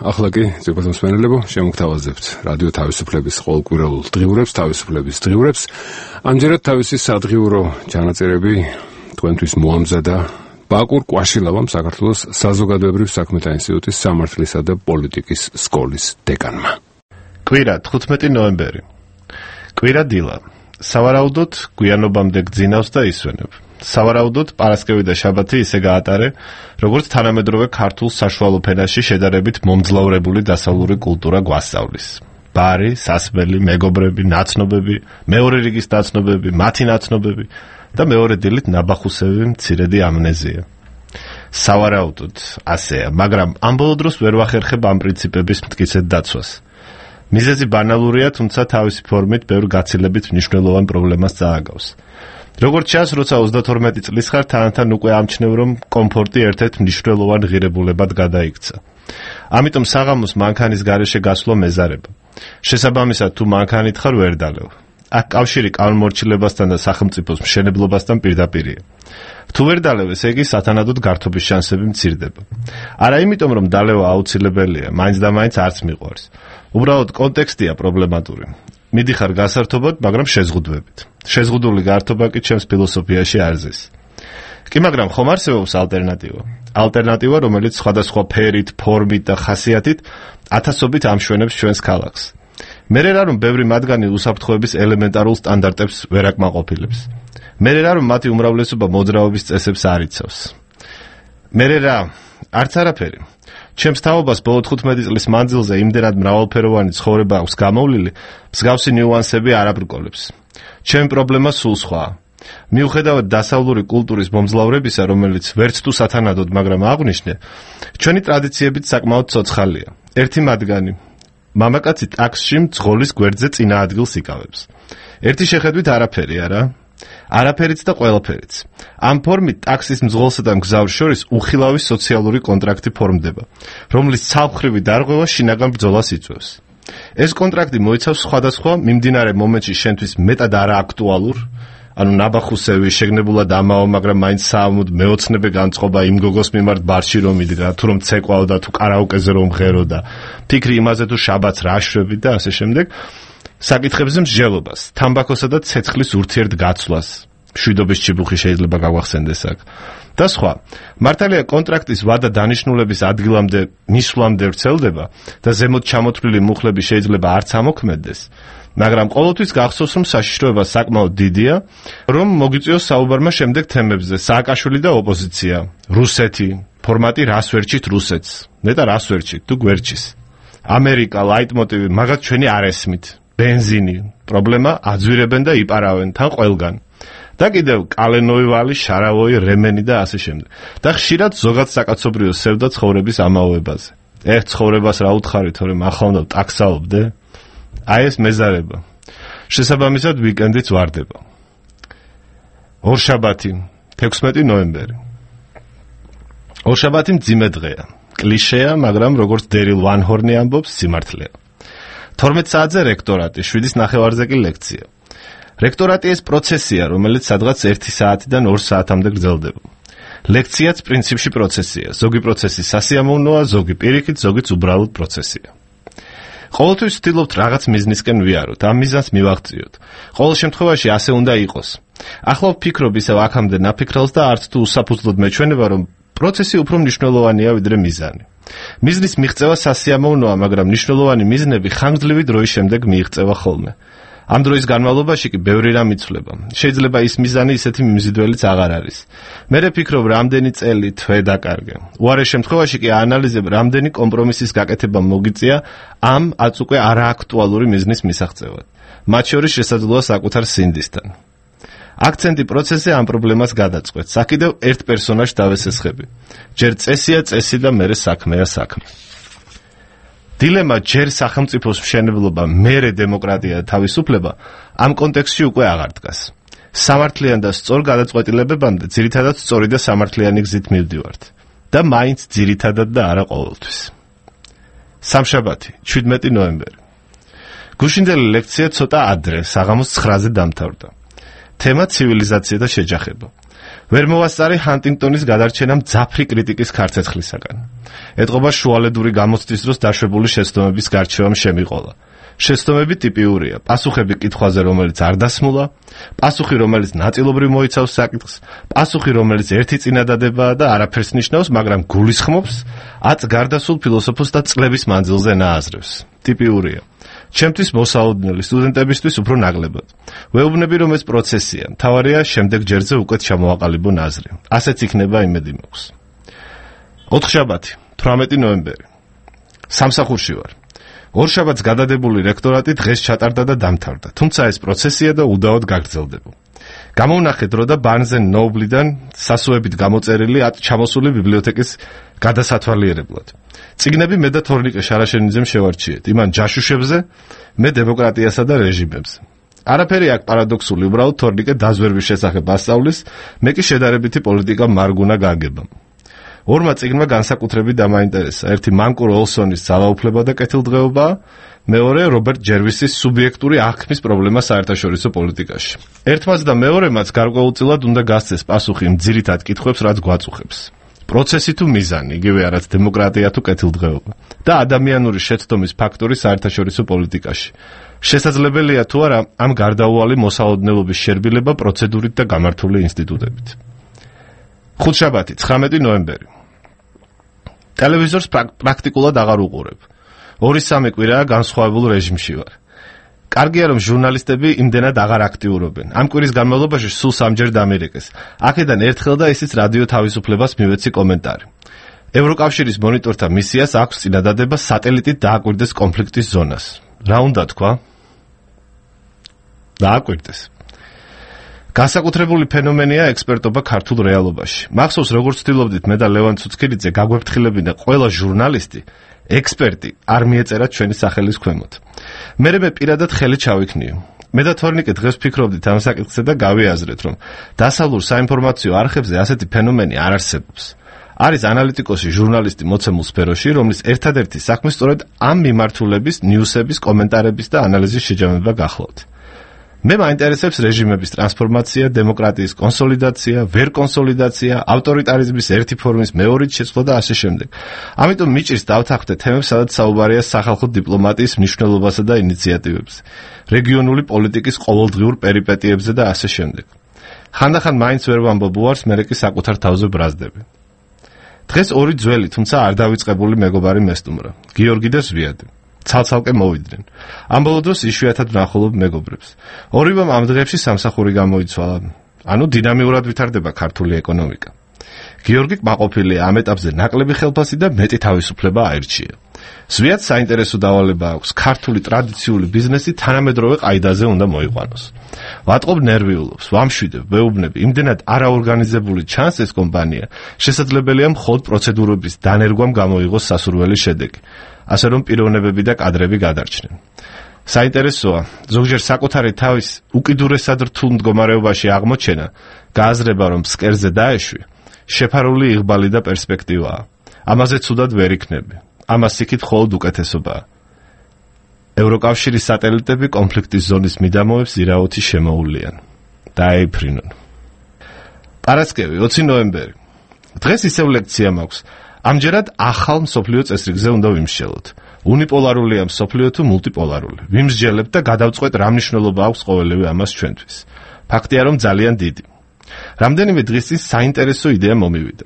ახლა კი ზოგადად მსმენელებო შემოგთავაზებთ რადიო თავისუფლების ყოველკვირეულ დღიურებს, თავისუფლების დღიურებს. ამჯერად თავისი სადღიურო ჩანაწერები თქვენთვის მოამზადა ბაკურ კვაშილავამ, საქართველოს საზოგადოებრივ საქმეთა ინსტიტუტის სამართლისა და პოლიტიკის სკოლის დეკანმა. კვირა თხუთმეტი ნოემბერი. კვირა დილა. სავარაუდოდ გვიანობამდე გძინავს და ისვენებ. სავარაუდოდ პარასკევი და შაბათი ისე გაატარე, როგორც თანამედროვე ქართულ საშუალო ფენაში შედარებით მომძლავრებული დასავლური კულტურა გვასწავლის. ბარი, სასმელი, მეგობრები, ნაცნობები, მეორე რიგის ნაცნობები, მათი ნაცნობები და მეორე დილით ნაბახუსები, მცირედი ამნეზია. სავარაუდოდ ასეა, მაგრამ ამ ბოლო დროს ვერ ვახერხებ ამ პრინციპების მტკიცედ დაცვას. მიზეზი ბანალურია, თუმცა თავისი ფორმით ბევრ გაცილებით მნიშვნელოვან პრობლემას წააგავს. როგორც ჩანს, როცა ოცდათორმეტი წლის ხარ, თანათან უკვე ამჩნევ, რომ კომფორტი ერთ-ერთ მნიშვნელოვან ღირებულებად გადაიქცა. ამიტომ საღამოს მანქანის გარეშე გასვლა მეზარება. შესაბამისად, თუ მანქანით ხარ, ვერ დალევ. აქ კავშირი კანონმორჩილებასთან და სახელმწიფოს მშენებლობასთან პირდაპირია. თუ ვერ დალევ, ესე იგი სათანადოდ გართობის შანსები მცირდება. არა იმიტომ, რომ დალევა აუცილებელია, მაინც და მაინც არც მიყვარს. უბრალოდ კონტექსტია პრობლემატური. მიდიხარ გასართობად, მაგრამ შეზღუდვებით. შეზღუდული გართობა კი ჩემს ფილოსოფიაში არ ზის. კი, მაგრამ ხომ არსებობს ალტერნატივა? ალტერნატივა, რომელიც სხვადასხვა ფერით, ფორმით და ხასიათით ათასობით ამშვენებს ჩვენს ქალაქს. მერე რა რომ ბევრი მათგანი უსაფრთხოების ელემენტარულ სტანდარტებს ვერ აკმაყოფილებს. მერე რა რომ მათი უმრავლესობა მოძრაობის წესებს არ იცავს. მერე რა, არც არაფერი. ჩემს თაობას ბოლო თხუთმეტი წლის მანძილზე იმდენად მრავალფეროვანი ცხოვრება აქვს გამოვლილი, მსგავსი ნიუანსები არ აბრკოლებს. ჩემი პრობლემა სულ სხვაა. მიუხედავად დასავლური კულტურის მომძლავრებისა, რომელიც ვერც თუ სათანადოდ, მაგრამ აღვნიშნე, ჩვენი ტრადიციებით საკმაოდ ცოცხალია. ერთი მათგანი მამაკაცი ტაქსში მძღოლის გვერდზე წინა ადგილს იკავებს. ერთი შეხედვით არაფერი, არა? არაფერიც და ყველაფერიც. ამ ფორმით ტაქსის მძღოლსა და მგზავრს შორის უხილავი სოციალური კონტრაქტი ფორმდება, რომლის ცალმხრივი დარღვევა შინაგან ბრძოლას იწვევს. ეს კონტრაქტი მოიცავს სხვადასხვა მიმდინარე მომენტში შენთვის მეტად არააქტუალურ, ანუ ნაბახუსევი, შეგნებულად ამაო, მაგრამ მაინც საამოდ მეოცნებე განწყობა იმ გოგოს მიმართ ბარში რომ მიდრა, თუ რომ ცეკვაო და თუ კარაოკეზე რომ ღერო და ფიქრი იმაზე თუ შაბათს რა შვები და ასე შემდეგ. საკითხებზე მსჯელობას, თამბაქოსა და ცეცხლის ურთიერთგაცვლას, მშვიდობის ჭიბუხი შეიძლება გავახსენდეს აქ. და სხვა. მართალია კონტრაქტის ვადა დანიშნულების ადგილამდე მისვლამდე ვრცელდება და ზემოთ ჩამოთვლილი მუხლები შეიძლება არც ამოქმედდეს, მაგრამ ყოველთვის გახსოვს, რომ საშიშროება საკმაოდ დიდია, რომ მოგიწვიოს საუბარმა შემდეგ თემებზე: სააკაშვილი და ოპოზიცია, რუსეთი, ფორმატი რას ვერჩით რუსეთს, ნეტა რას ვერჩით თუ გვერჩის, ამერიკა, ლაიტმოტივი, მაგათ ჩვენი არ ესმით. ბენზინი, პრობლემა აძვირებენ და იპარავენ თან ყველგან. და კიდევ კალენოი ვალი, შარავოი, რემენი და ასე შემდეგ. და ხშირად ზოგად საკაცობრიო სევდა ცხოვრების ამაოებაზე. ეხ ცხოვრებას რა უთხარი, თორემ ახლა უნდა ტაქსაობდე? აი ეს მეზარება. შესაბამისად ვიკენდიც ვარდება. ორშაბათი, თექვსმეტი ნოემბერი. ორშაბათი მძიმე დღეა. კლიშეა, მაგრამ როგორც დერილ ვანჰორნი ამბობს, სიმართლეა. თორმეტ საათზე რექტორატი, შვიდის ნახევარზე კი ლექცია. რექტორატი ეს პროცესია, რომელიც სადღაც ერთი საათიდან ორ საათამდე გრძელდება. ლექციაც პრინციპში პროცესია. ზოგი პროცესი სასიამოვნოა, ზოგი პირიქით, ზოგიც უბრალოდ პროცესია. ყოველთვის ვცდილობთ რაღაც მიზნისკენ ვიაროთ, ამ მიზანს მივაღწიოთ. ყოველ შემთხვევაში ასე უნდა იყოს. ახლა ვფიქრობ ისევ აქამდე ნაფიქრალს და არც თუ უსაფუძვლოდ მეჩვენება, რომ პროცესი უფრო მნიშვნელოვანია ვიდრე მიზანი. მიზნის მიღწევა სასიამოვნოა, მაგრამ მნიშვნელოვანი მიზნები ხანგრძლივი დროის შემდეგ მიიღწევა ხოლმე. ამ დროის განმავლობაში კი ბევრი რამ იცვლება. შეიძლება ის მიზანი ისეთი მიმზიდველიც აღარ არის. მე ვფიქრობ, რამდენი წელი თვე დაკარგე. უარეს შემთხვევაში კი აანალიზებ, რამდენი კომპრომისის გაკეთება მოგიწია ამ აწ უკვე არააქტუალური მიზნის მისაღწევად. მათ შორის შესაძლოა საკუთარ სინდისთან. აქცენტი პროცესზე ამ პრობლემას გადაწყვეტს. აქედევ ერთ პერსონაჟს დავესესხები. ჯერ წესია წესი და მერე საქმეა საქმე. დილემა ჯერ სახელმწიფოს მშენებლობა, მერე დემოკრატია და თავისუფლება ამ კონტექსტში უკვე აღარ დგას. სამართლიან და სწორ გადაწყვეტილებებამდე ძირითადად სწორი და სამართლიანი გზით მივდივართ და მაინც ძირითადად და არა ყოველთვის. სამშაბათი, შვიდმეტი ნოემბერი. გუშინდელი ლექცია ცოტა ადრე, საღამოს ცხრაზე დამთავრდა. თემა ცივილიზაცია და შეჯახება. ვერ მოვასწარი ჰანტინგტონის გადარჩენამ ძაფრი კრიტიკის ქარცეცხლისაგან. ეტყობა შუალედური გამოცდის დროს დაშვებული შეცდომების გარჩევამ შემიყოლა. შეცდომები ტიპიურია: პასუხები კითხვაზე, რომელიც არ დასმულა, პასუხი, რომელიც ნაწილობრივ მოიცავს საკითხს, პასუხი, რომელიც ერთი წინადადებაა და არაფერს ნიშნავს, მაგრამ გულისხმობს, აწ გარდასულ ფილოსოფოსს და წლების მანძილზე ნააზრევს. ტიპიურია. ჩემთვის მოსაოდნელი, სტუდენტებისთვის უფრო ნაკლებად. ვეუბნები, რომ ეს პროცესია, მთავარია შემდეგ ჯერზე უკეთ ჩამოაყალიბო აზრი. ასეც იქნება, იმედი მაქვს. ოთხშაბათი, თვრამეტი ნოემბერი. სამსახურში ვარ. ორშაბათს გადადებული რექტორატი დღეს ჩატარდა და დამთავრდა, თუმცა ეს პროცესია და უდაოდ გაგრძელდება. გამოვნახე დრო და ბარნზენ ნოუბლიდან სასუებით გამოწერილი ათ ჩამოსული ბიბლიოთეკის გადასათვალიერებლად. წიგნები მე და თორნიკე შარაშენიძემ შევარჩიეთ, იმან ჯაშუშებზე, მე დემოკრატიასა და რეჟიმებზე. არაფერი აქ პარადოქსული, უბრალოდ თორნიკე დაზვერვის შესახებ ასწავლის, მე კი შედარებითი პოლიტიკა მარგუნა გაგებამ. ორმა წიგნმა განსაკუთრებით დამაინტერესა. ერთი მანკურ ოლსონის ძალაუფლება და კეთილდღეობა, მეორე რობერტ ჯერვისის სუბიექტური აღქმის პრობლემა საერთაშორისო პოლიტიკაში. ერთმაც და მეორემაც გარკვეულწილად უნდა გასცეს პასუხი იმ ძირითად კითხვებს, რაც გვაწუხებს. პროცესი თუ მიზანი, იგივე არაც დემოკრატია თუ კეთილდღეობა და ადამიანური შეცდომის ფაქტორი საერთაშორისო პოლიტიკაში. შესაძლებელია თუ არა ამ გარდაუვალი მოსაოდნელობის შერბილება პროცედურით და გამართული ინსტიტუტებით. ხუთშაბათი, ცხრამეტი ნოემბერი. ტელევიზორს პრაქტიკულად აღარ უყურებ. ორი სამი კვირაა განსხვავებულ რეჟიმში ვარ. კარგია, რომ ჟურნალისტები იმდენად აღარ აქტიურობენ. ამ კვირის განმავლობაში სულ სამჯერ დამირეკეს. აქედან ერთხელ და ისიც რადიო თავისუფლებას მივეცი კომენტარი. ევროკავშირის მონიტორთა მისიას აქვს წინადადება სატელიტით დააკვირდეს კონფლიქტის ზონას. რა უნდა თქვა? დააკვირდეს. განსაკუთრებული ფენომენია ექსპერტობა ქართულ რეალობაში. მახსოვს, როგორც ვთილობდით მე და ლევან ცუცქირიძე გაგვეფრთხილებინა ყველა ჟურნალისტი, ექსპერტი არ მიეწერა ჩვენი სახელის ქვემოთ. მერე მე პირადად ხელი ჩავიქნიო. მე და თორნიკე დღეს ვფიქრობდით ამ საკითხზე და გავიაზრეთ, რომ დასავლურ საინფორმაციო არხებზე ასეთი ფენომენი არ არსებობს. არის ანალიტიკოსი ჟურნალისტი მოცემულ სფეროში, რომლის ერთადერთი საქმე სწორედ ამ მიმართულების, ნიუსების, კომენტარების და ანალიზის შეჯამება გახლავთ. მე მაინტერესებს რეჟიმების ტრანსფორმაცია, დემოკრატიის კონსოლიდაცია, ვერ კონსოლიდაცია, ავტორიტარიზმის ერთი ფორმის მეორით შეცვლა და ასე შემდეგ. ამიტომ მიჭირს დავთანხმდე თემებს, სადაც საუბარია სახალხო დიპლომატიის მნიშვნელობასა და ინიციატივებზე, რეგიონული პოლიტიკის ყოველდღიურ პერიპეტიებზე და ასე შემდეგ. ხანდახან მაინც ვერ ვამბობ უარს, მერე კი საკუთარ თავზე ბრაზდები. დღეს ორი ძველი, თუმცა არ დავიწყებული მეგობარი მესტუმრა, გიორგი და ზვიადი. ცალ-ცალკე მოვიდნენ. ამ ბოლო დროს იშვიათად ვნახულობ მეგობრებს. ორივემ ამ დღეებში სამსახური გამოიცვალა. ანუ დინამიურად ვითარდება ქართული ეკონომიკა. გიორგი კმაყოფილია, ამ ეტაპზე ნაკლები ხელფასი და მეტი თავისუფლება აირჩია. ზვიადს საინტერესო დავალება აქვს, ქართული ტრადიციული ბიზნესი თანამედროვე ყაიდაზე უნდა მოიყვანოს. ვატყობ ნერვიულობს, ვამშვიდებ, ვეუბნები, იმდენად არაორგანიზებული ჩანს ეს კომპანია, შესაძლებელია მხოლოდ პროცედურების დანერგვამ გამოიღოს სასურველი შედეგი. ასე რომ პიროვნებები და კადრები გადარჩნენ. საინტერესოა, ზოგჯერ საკუთარი თავის უკიდურესად რთულ მდგომარეობაში აღმოჩენა, გააზრება, რომ ფსკერზე დაეშვი, შეფარული იღბალი და პერსპექტივაა. ამაზე ცუდად ვერ იქნები. ამას იქით მხოლოდ უკეთესობაა. ევროკავშირის სატელიტები კონფლიქტის ზონის მიდამოებს ირაოთი შემოულიან. დაეიფრინონ. პარასკევი, ოცი ნოემბერი. დღეს ისევ ლექცია მაქვს. ამჯერად ახალ მსოფლიო წესრიგზე უნდა ვიმსჯელოთ. უნიპოლარულია მსოფლიო თუ მულტიპოლარული. ვიმსჯელებთ და გადავწყვეტ რა მნიშვნელობა აქვს ყოველივე ამას ჩვენთვის. ფაქტია, რომ ძალიან დიდი. რამდენიმე დღის წინ საინტერესო იდეა მომივიდა.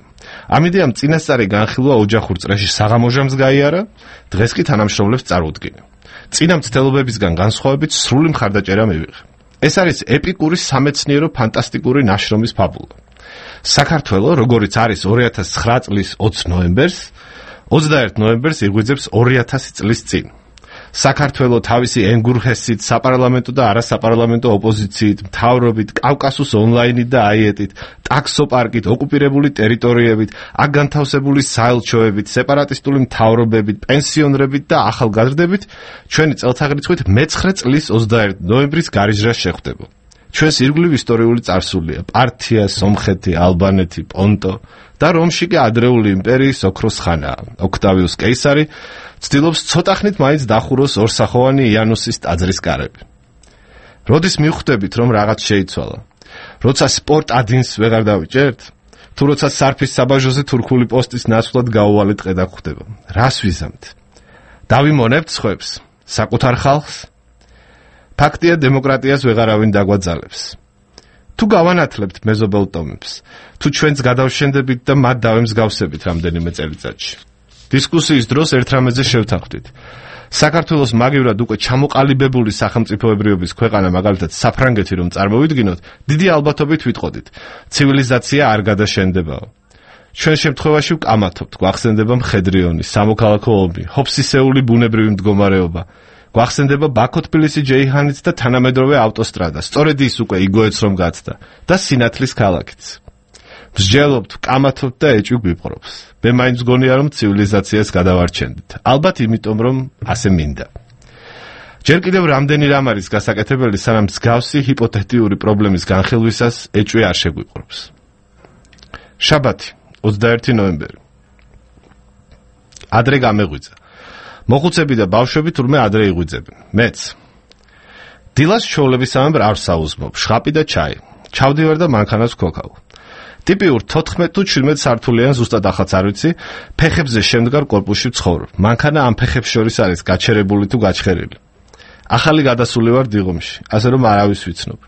ამ იდეამ წინასწარი განხილვა ოჯახურ წრეში საღამოჟამს გაიარა, დღეს კი თანამშრომლებს წარუდგინა. წინა მცდელობებისგან განსხვავებით სრული მხარდაჭერა მივიღე. ეს არის ეპიკური სამეცნიერო ფანტასტიკური ნაშრომის ფაბულა. საქართველო, როგორც არის ორი ათას ცხრა წლის ოცი ნოემბერს, ოცდაერთი ნოემბერს იღვიძებს ორი ათასი წლის წინ. საქართველო თავისი ენგურჰესით, საპარლამენტო და არასაპარლამენტო ოპოზიციით, მთავრობით, კავკასუს ონლაინით და აიეტით, ტაქსოპარკით, ოკუპირებული ტერიტორიებით, აქ განთავსებული საელჩოებით, სეპარატისტული მთავრობებით, პენსიონრებით და ახალგაზრდებით ჩვენი წელთაღრიცხვით მეცხრე წლის ოცდაერთი ნოემბრის გარიჟრას შეხვდება. ჩვენს ირგვლივ ისტორიული წარსულია: პართია, სომხეთი, ალბანეთი, პონტო და რომში კი ადრეული იმპერიის ოქროს ხანაა. ოქტავიუს კეისარი ცდილობს ცოტახნით მაინც დახუროს ორსახოვანი იანუსის ტაძრის კარები. როდის მივხვდებით, რომ რაღაც შეიცვალა? როცა სპორტ ადინს ვეღარ დავიჭერთ? თუ როცა სარფის საბაჟოზე თურქული პოსტის ნაცვლად გაუვალეთ ყედა გვხდება. რას ვიზამთ? დავიმონებთ სხვებს, საკუთარ ხალხს? ფაქტია, დემოკრატიას ვეღარავინ დაგვაძალებს. თუ გავანათლებთ მეზობელ ტომებს, თუ ჩვენც გადავშენდებით და მათ დავემსგავსებით რამდენიმე წელიწადში. დისკუსიის დროს ერთ რამეზე შევთანხმდით. საქართველოს მაგივრად უკვე ჩამოყალიბებული სახელმწიფოებრიობის ქვეყანა, მაგალითად საფრანგეთი რომ წარმოვიდგინოთ, დიდი ალბათობით ვიტყოდით: ცივილიზაცია არ გადაშენდებაო. ჩვენ შემთხვევაში ვკამათობთ, გვახსენდება მხედრიონი, სამოქალაქო ომი, ჰოფსისეული ბუნებრივი მდგომარეობა. გვახსენდება ბაქო-თბილისი-ჯეიჰანიც და თანამედროვე ავტოსტრადა, სწორედ ის უკვე იგოეთს რომ გაცდა და სინათლის ქალაქიც. მსჯელობთ, ვკამათობთ და ეჭვი გვიპყრობს. მე მაინც გონია რომ ცივილიზაციას გადავარჩენდით. ალბათ იმიტომ რომ ასე მინდა. ჯერ კიდევ რამდენი რამ არის გასაკეთებელი, სანამ მსგავსი ჰიპოთეტიური პრობლემის განხილვისას ეჭვი არ შეგვიპყრობს. შაბათი, ოცდაერთი ნოემბერი. ადრე გამეღვიძა. მოხუცები და ბავშვები თურმე ადრე იღვიძებენ. მეც. დილას ჩვეულებისამებრ არ საუზმობ, შხაპი და ჩაი. ჩავდივარ და მანქანას ვქოქავ. ტიპიურ თოთხმეტ თუ შვიდმეტ სართულიან, ზუსტად ახაც არ ვიცი, ფეხებზე შემდგარ კორპუსში ვცხოვრობ. მანქანა ამ ფეხებს შორის არის გაჩერებული თუ გაჩხერილი. ახალი გადასული ვარ დიღომში, ასე რომ არავის ვიცნობ.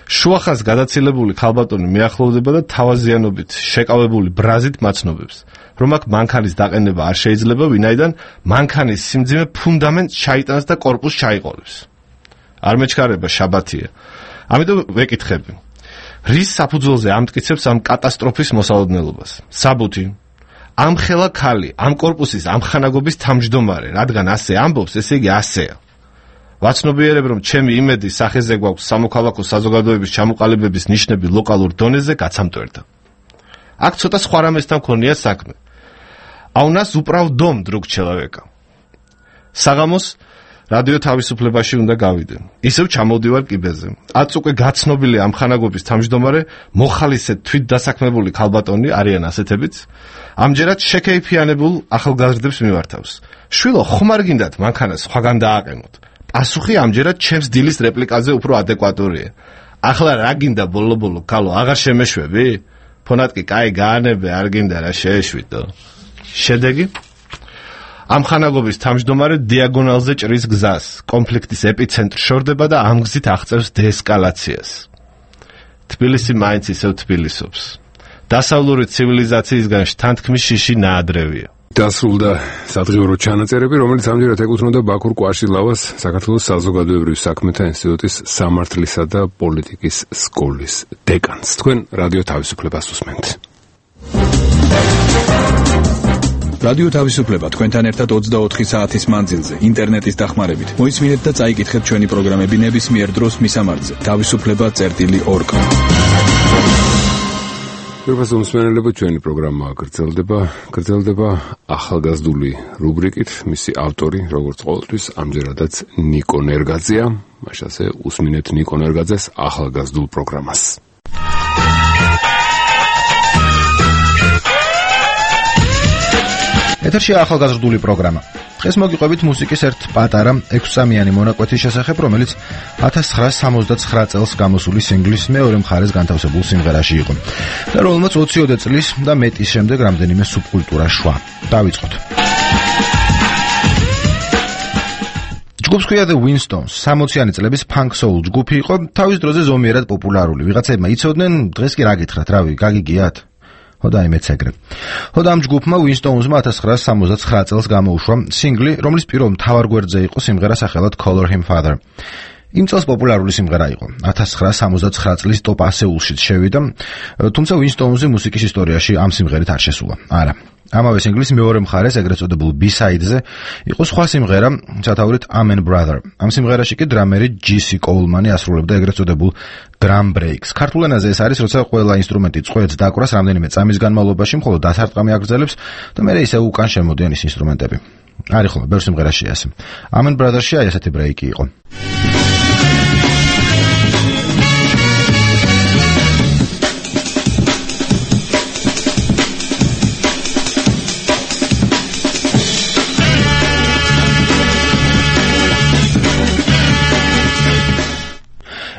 შუახანს გადაცილებული ქალბატონი მიახლოვდება და თავაზიანობით შეკავებული ბრაზით მაცნობებს, რომ აქ მანქანის დაყენება არ შეიძლება, ვინაიდან მანქანის სიმძიმე ფუნდამენტს ჩაიტანს და კორპუსს ჩაიყოლებს. არ მეჩქარება, შაბათია. ამიტომ ვეკითხები: რის საფუძველზე ამტკიცებს ამ კატასტროფის მოსალოდნელობას? საბუთი: ამ ხელა ქალი, ამ კორპუსის ამხანაგობის თავმჯდომარე, რადგან ასე ამბობს, ესე იგი ასეა. ვაცნობიერებ, რომ ჩემი იმედი სახეზე გვაქვს სამოქალაქო საზოგადოების ჩამოყალიბების ნიშნები ლოკალურ დონეზე გაცამტვერდა. აქ ცოტა სხვა რამესთან მქონია საქმე. А у нас управ дом, друг человека. საღამოს რადიო თავისუფლებაში უნდა გავიდე. ისევ ჩამოვდივარ კიბეზე. აწ უკვე გაცნობილი ამხანაგობის თავმჯდომარე, მოხალისე თვით დასაქმებული ქალბატონი არიან ასეთებიც. ამჯერად შეკეიფიანებულ ახალგაზრდებს მიმართავს. შვილო, ხომ არ გინდათ მანქანას სხვაგან დააყენოთ? პასუხი ამჯერად ჩემს დილის რეპლიკაზე უფრო ადეკვატურია. ახლა რა გინდა ბოლო-ბოლო ქალო, აღარ შემეშვები? ფონატკი კაი გაანებე, არ გინდა რა შეეშვიდო. შედეგი? ამხანაგობის თავმჯდომარე დიაგონალზე ჭრის გზას, კონფლიქტის ეპიცენტრ შორდება და ამ გზით აღწევს დეესკალაციას. თბილისი მაინც ისევ თბილისობს. დასავლური ცივილიზაციისგან შთანთქმის შიში ნაადრევია. დასრულდა სადღიურო ჩანაწერები, რომელიც ამჯერად ეკუთვნოდა ბაქურ კვაშილავას, საქართველოს საზოგადოებრივ საქმეთა ინსტიტუტის სამართლისა და პოლიტიკის სკოლის დეკანს. თქვენ რადიო თავისუფლებას უსმენთ. რადიო თავისუფლება თქვენთან ერთად ოცდაოთხი საათის მანძილზე, ინტერნეტის დახმარებით. მოისმინეთ და წაიკითხეთ ჩვენი პროგრამები ნებისმიერ დროს მისამართზე. თავისუფლება წერტილი ორ კა. პირველ მსმენელებო, ჩვენი პროგრამა გრძელდება, გრძელდება ახალგაზრდული რუბრიკით. მისი ავტორი, როგორც ყოველთვის, ამჯერადაც ნიკო ნერგაძეა. მაშასე უსმინეთ ნიკო ნერგაძეს ახალგაზრდულ პროგრამას. ეთერში ახალგაზრდული პროგრამა. დღეს მოგიყვებით მუსიკის ერთ პატარა ექვსსამიანი მონაკვეთის შესახებ, რომელიც ათას ცხრაასი სამოცდაცხრა წელს გამოსული სინგლის მეორე მხარეს განთავსებულ სიმღერაში იყო და რომელმაც ოციოდე წლის და მეტის შემდეგ რამდენიმე სუბკულტურა შვა. დავიწყოთ. ჯგუფს ქვია The Winstones, სამოციანი წლების punk soul ჯგუფი იყო, თავის დროზე ზომიერად პოპულარული. ვიღაცებმა იცოდნენ, დღეს კი რა გითხრათ, რავი, გაგიგიათ? ხოდა იმეც ეგრე. ხოდა ამ ჯგუფმა Winston's-მა ათას ცხრაასი სამოცდათსხრა წელს გამოუშვა სინგლი, რომლის პირველ მთავარ გვერდზე იყო სიმღერა სახელად Call Him Father. იმ წელს პოპულარული სიმღერა იყო. ათას ცხრაასი სამოცდათსხრა წლის ტოპ ასეულშიც შევიდა, თუმცა Winston's მუსიკის ისტორიაში ამ სიმღერით არ შესულა. არა. ამავე სინგლის მეორე მხარეს, ეგრეთ წოდებულ B-side-ზე, იყო სხვა სიმღერა, სათაურით Amen Brother. ამ სიმღერაში კი დრამერი ჯი სი Coleman-ი ასრულებდა ეგრეთ წოდებულ drum breaks. ქართულ ენაზე ეს არის, როცა ყველა ინსტრუმენტი წყვეტს დაკვრას რამდენიმე წამის განმავლობაში, მხოლოდ დასარტყამი აგრძელებს და მერე ისე უკან შემოდიან ის ინსტრუმენტები. არის ხოლმე ბევრ სიმღერაში ასე. Amen Brother-ში აი ესეთი ბრეიკი იყო.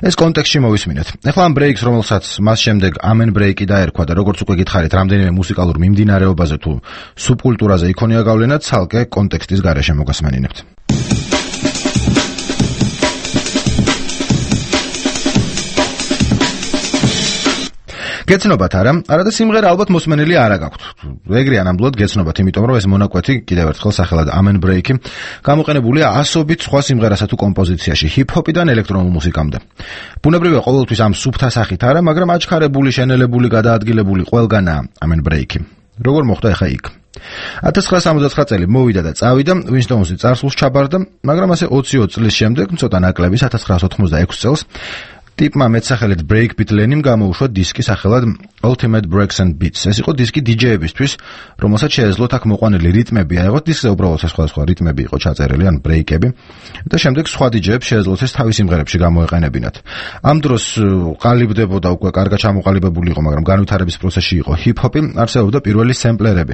ეს კონტექსტში მოვისმინეთ. ეხლა ამ ბრეიკს, რომელსაც მას შემდეგ Amen ბრეიკი დაერქვა და როგორც უკვე გითხარით, რამდენიმე მუსიკალურ მიმდინარეობაზე თუ სუბკულტურაზე იქონია გავლენა, ცალკე კონტექსტის გარეშე მოგასმენინებთ. გეცნობათ არა, არა და სიმღერა ალბათ მოსმენელი არა გაქვთ. ეგრეა ნამდვილად გეცნობათ, იმიტომ რომ ეს მონაკვეთი კიდევ ერთხელ სახელად Amen Break-ი გამოყენებულია ასობით სხვა სიმღერასა თუ კომპოზიციაში, ჰიპ-ჰოპიდან ელექტრონულ მუსიკამდე. ბუნებრივია ყოველთვის ამ სუფთა სახით არა, მაგრამ აჩქარებული, შენელებული, გადაადგილებული ყველგანაა Amen Break-ი. როგორ მოხდა ახლა იქ? ათას ცხრაასი სამოცდათსხრა წელი მოვიდა და წავიდა, Winston's წარსულს ჩაბარდა, მაგრამ ასე ოცი ოც წლის შემდეგ, ცოტა ნაკლების ათას ცხრაასი ოცდაექვსი წელს ტიპმა მეტსახელით Breakbeat Lenin გამოუშვა დისკი სახელად Ultimate Breaks and Beats. ეს იყო დისკი დი-ჯეებისთვის, რომელსაც შეეძლოთ აქ მოყვანილი რიტმები აიღოთ, დისკზე უბრალოდ სხვადასხვა რიტმები იყო ჩაწერილი, ან ბრეიკები, და შემდეგ სხვა დი-ჯეებს შეეძლოთ ეს თავის სიმღერებში გამოეყენებინათ. ამ დროს ყალიბდებოდა უკვე კარგად ჩამოყალიბებული იყო, მაგრამ განვითარების პროცესში იყო ჰიპ-ჰოპი, არსებობდა პირველი სემპლერები,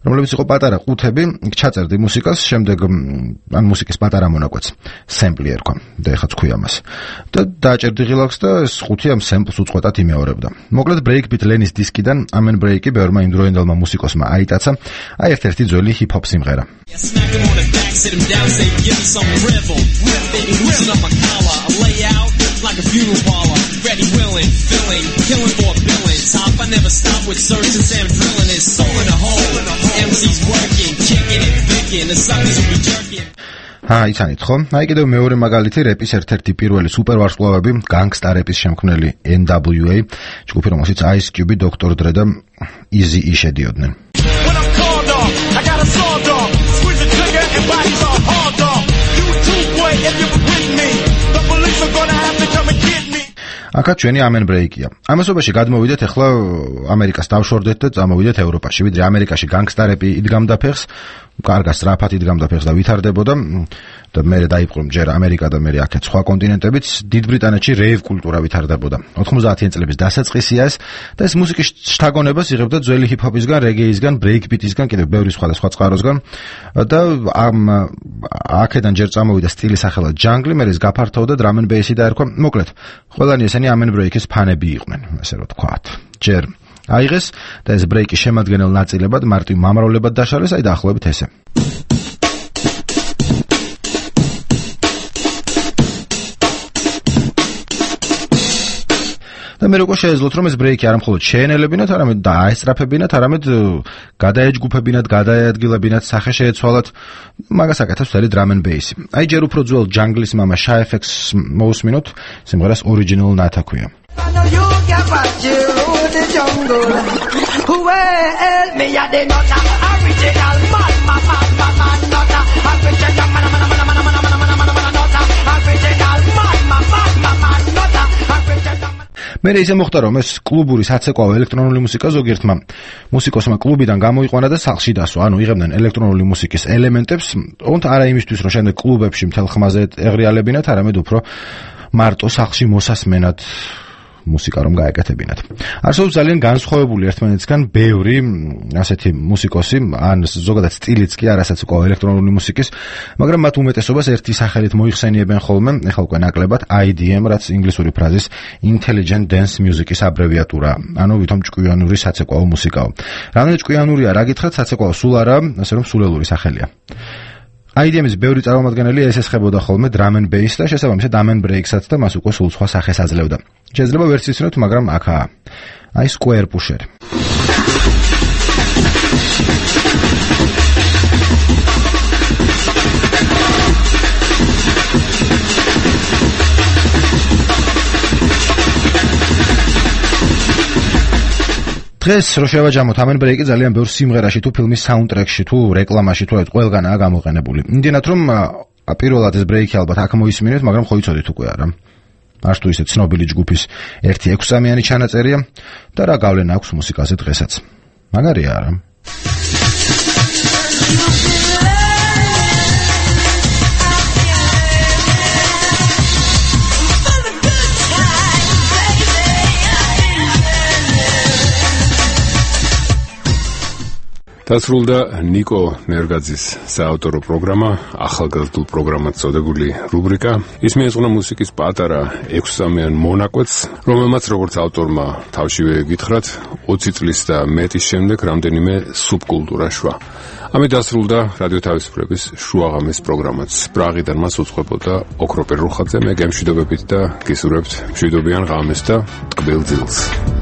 რომლებიც იყო პატარა ყუთები, ჩაწერდი მუსიკას, შემდეგ ან მუსიკის პატარა მონაკვეთს სემპლი ერქვა და ეხაც ქვია მას. და დააჭერდი ღილაკს და ეს ყუთი ამ სემპლს უწყვეტად იმეორებდა. მოკლედ Breakbeat Lenin-ის დისკიდან Amen Break-ი ბევრმა იმდროინდელმა მუსიკოსმა აიტაცა, აი ერთ-ერთი ძველი ჰიპ-ჰოპ სიმღერა. Like a funeral parlor, ready, willing, filling, killing for billing. Top, I never stop with searches and drilling. It's soul in a hole, M C's working, kicking it, picking, the suckers will be jerking. აი, იცანით ხო? აი კიდევ მეორე მაგალითი რეპის ერთ-ერთი პირველი სუპერვარსკვლავები, განგსტა რეპის შემქმნელი N W A, ჯგუფი რომელშიც Ice Cube, Doctor Dre და Eazy-E შედიოდნენ. I got a sword dog, squeeze the trigger and bodies are hard dog. You too boy if you with me. The police are gonna have to come and get me. აკა ჩვენი Amen Break-ია. ამასობაში გადმოვიდეთ ახლა ამერიკას დავშორდეთ და წამოვიდეთ ევროპაში. ვიდრე ამერიკაში განგსტა რეპი იდგამდა ფეხს, კარგად სწრაფად იდგამდა ფეხს და ვითარდებოდა და მერე დაიპყრო ჯერ ამერიკა და მერე აქეთ სხვა კონტინენტებიც, დიდ ბრიტანეთში რეივ კულტურა ვითარდებოდა. ოთხმოცდაათიან წლების დასაწყისია ეს და ეს მუსიკის შთაგონებას იღებდა ძველი ჰიპ-ჰოპისგან, რეგეისგან, ბრეიკბიტისგან, კიდევ ბევრი სხვადასხვა წყაროსგან და ამ აქედან ჯერ წამოვიდა სტილი სახელად ჯანგლი, მერე ეს გაფართოვდა drum and bass-ი დაერქვა. მოკლედ, ყველანი ესენი Amen Break-ის ფანები იყვნენ, ასე რომ ვთქვათ. ჯერ აიღეს და ეს ბრეიკის შემადგენელ ნაწილებად მარტივ მამრავლებად დაშალეს, აი დაახლოებით ესე. და მე როგორ შეეძლოთ რომ ეს ბრეიკი არ მხოლოდ შეენელებინათ, არამედ დააესწრაფებინათ, არამედ გადაეჯგუფებინათ, გადაეადგილებინათ, სახე შეეცვალათ, მაგას აკეთებს მთელი drum and bass. აი ჯერ უფრო ძველ ჯანგლის მამა Shy F X მოусმინოთ, სიმღერას Original Nata ქვია. The jungle. Well, me a the not original man, man, man, man, man, not original man, man, man, man, man, man, man, man, man, not original man, man, man, man, man, not original. მე ისე მოხდა რომ ეს კლუბური საცეკვაო ელექტრონული მუსიკა ზოგიერთმა მუსიკოსმა კლუბიდან გამოიყვანა და სახლში დასვა, ანუ იღებდნენ ელექტრონული მუსიკის ელემენტებს, თუმცა არა იმისთვის რომ შემდეგ კლუბებში მთელ ხმაზე ეღრიალებინათ, არამედ უფრო მარტო სახლში მოსასმენად მუსიკა რომ გაეკეთებინათ. არსებობს ძალიან განსხვავებული ერთმანეთისგან ბევრი ასეთი მუსიკოსი, ან ზოგადად სტილიც კი არასაც უკვე ელექტრონული მუსიკის, მაგრამ მათ უმეტესობას ერთი სახელით მოიხსენიებენ ხოლმე, ეხლა უკვე ნაკლებად I D M, რაც ინგლისური ფრაზის Intelligent Dance Music-ის აბრევიატურა, ანუ ვითომ ჭკვიანური საცეკვაო მუსიკაო. რამდენად ჭკვიანურია რა გითხრათ, საცეკვაო სულ არა, ასე რომ სულელური სახელია. I D M-ის ბევრი წარმომადგენელი ესესხებოდა ხოლმე drum and bass და შესაბამისად Amen Break-საც და მას უკვე სულ სხვა სახეს აძლევდა. შეიძლება ვერც იცნოთ, მაგრამ აქაა. აი Square Pusher. დღეს რო შევაჯამოთ ამენ ბრეიკი ძალიან ბევრ სიმღერაში თუ ფილმის საუნდტრეკში თუ რეკლამაში თუ ყველგანაა გამოყენებული. იმდენად რომ პირველად ეს ბრეიკი ალბათ აქ მოისმინეთ, მაგრამ ხო იცოდით უკვე არა. არც თუ ისე ცნობილი ჯგუფის ერთი ექვსამიანი ჩანაწერია და რა გავლენა აქვს მუსიკაზე დღესაც. მაგარია არა? დასრულდა ნიკო ნერგაძის საავტორო პროგრამა, ახალგაზრდულ პროგრამად წოდებული რუბრიკა. ის მიეძღვნა მუსიკის პატარა ექვსამიან მონაკვეთს, რომელმაც როგორც ავტორმა თავშივე გითხრათ, ოცი წლის და მეტის შემდეგ რამდენიმე სუბკულტურა შვა. ამით დასრულდა რადიო თავისუფლების შუაღამის პროგრამაც. პრაღიდან მას უწყებოდა ოქროპერ რუხაძე, მე გემშვიდობებით და გისურვებთ მშვიდობიან ღამეს და ტკბილ ძილს.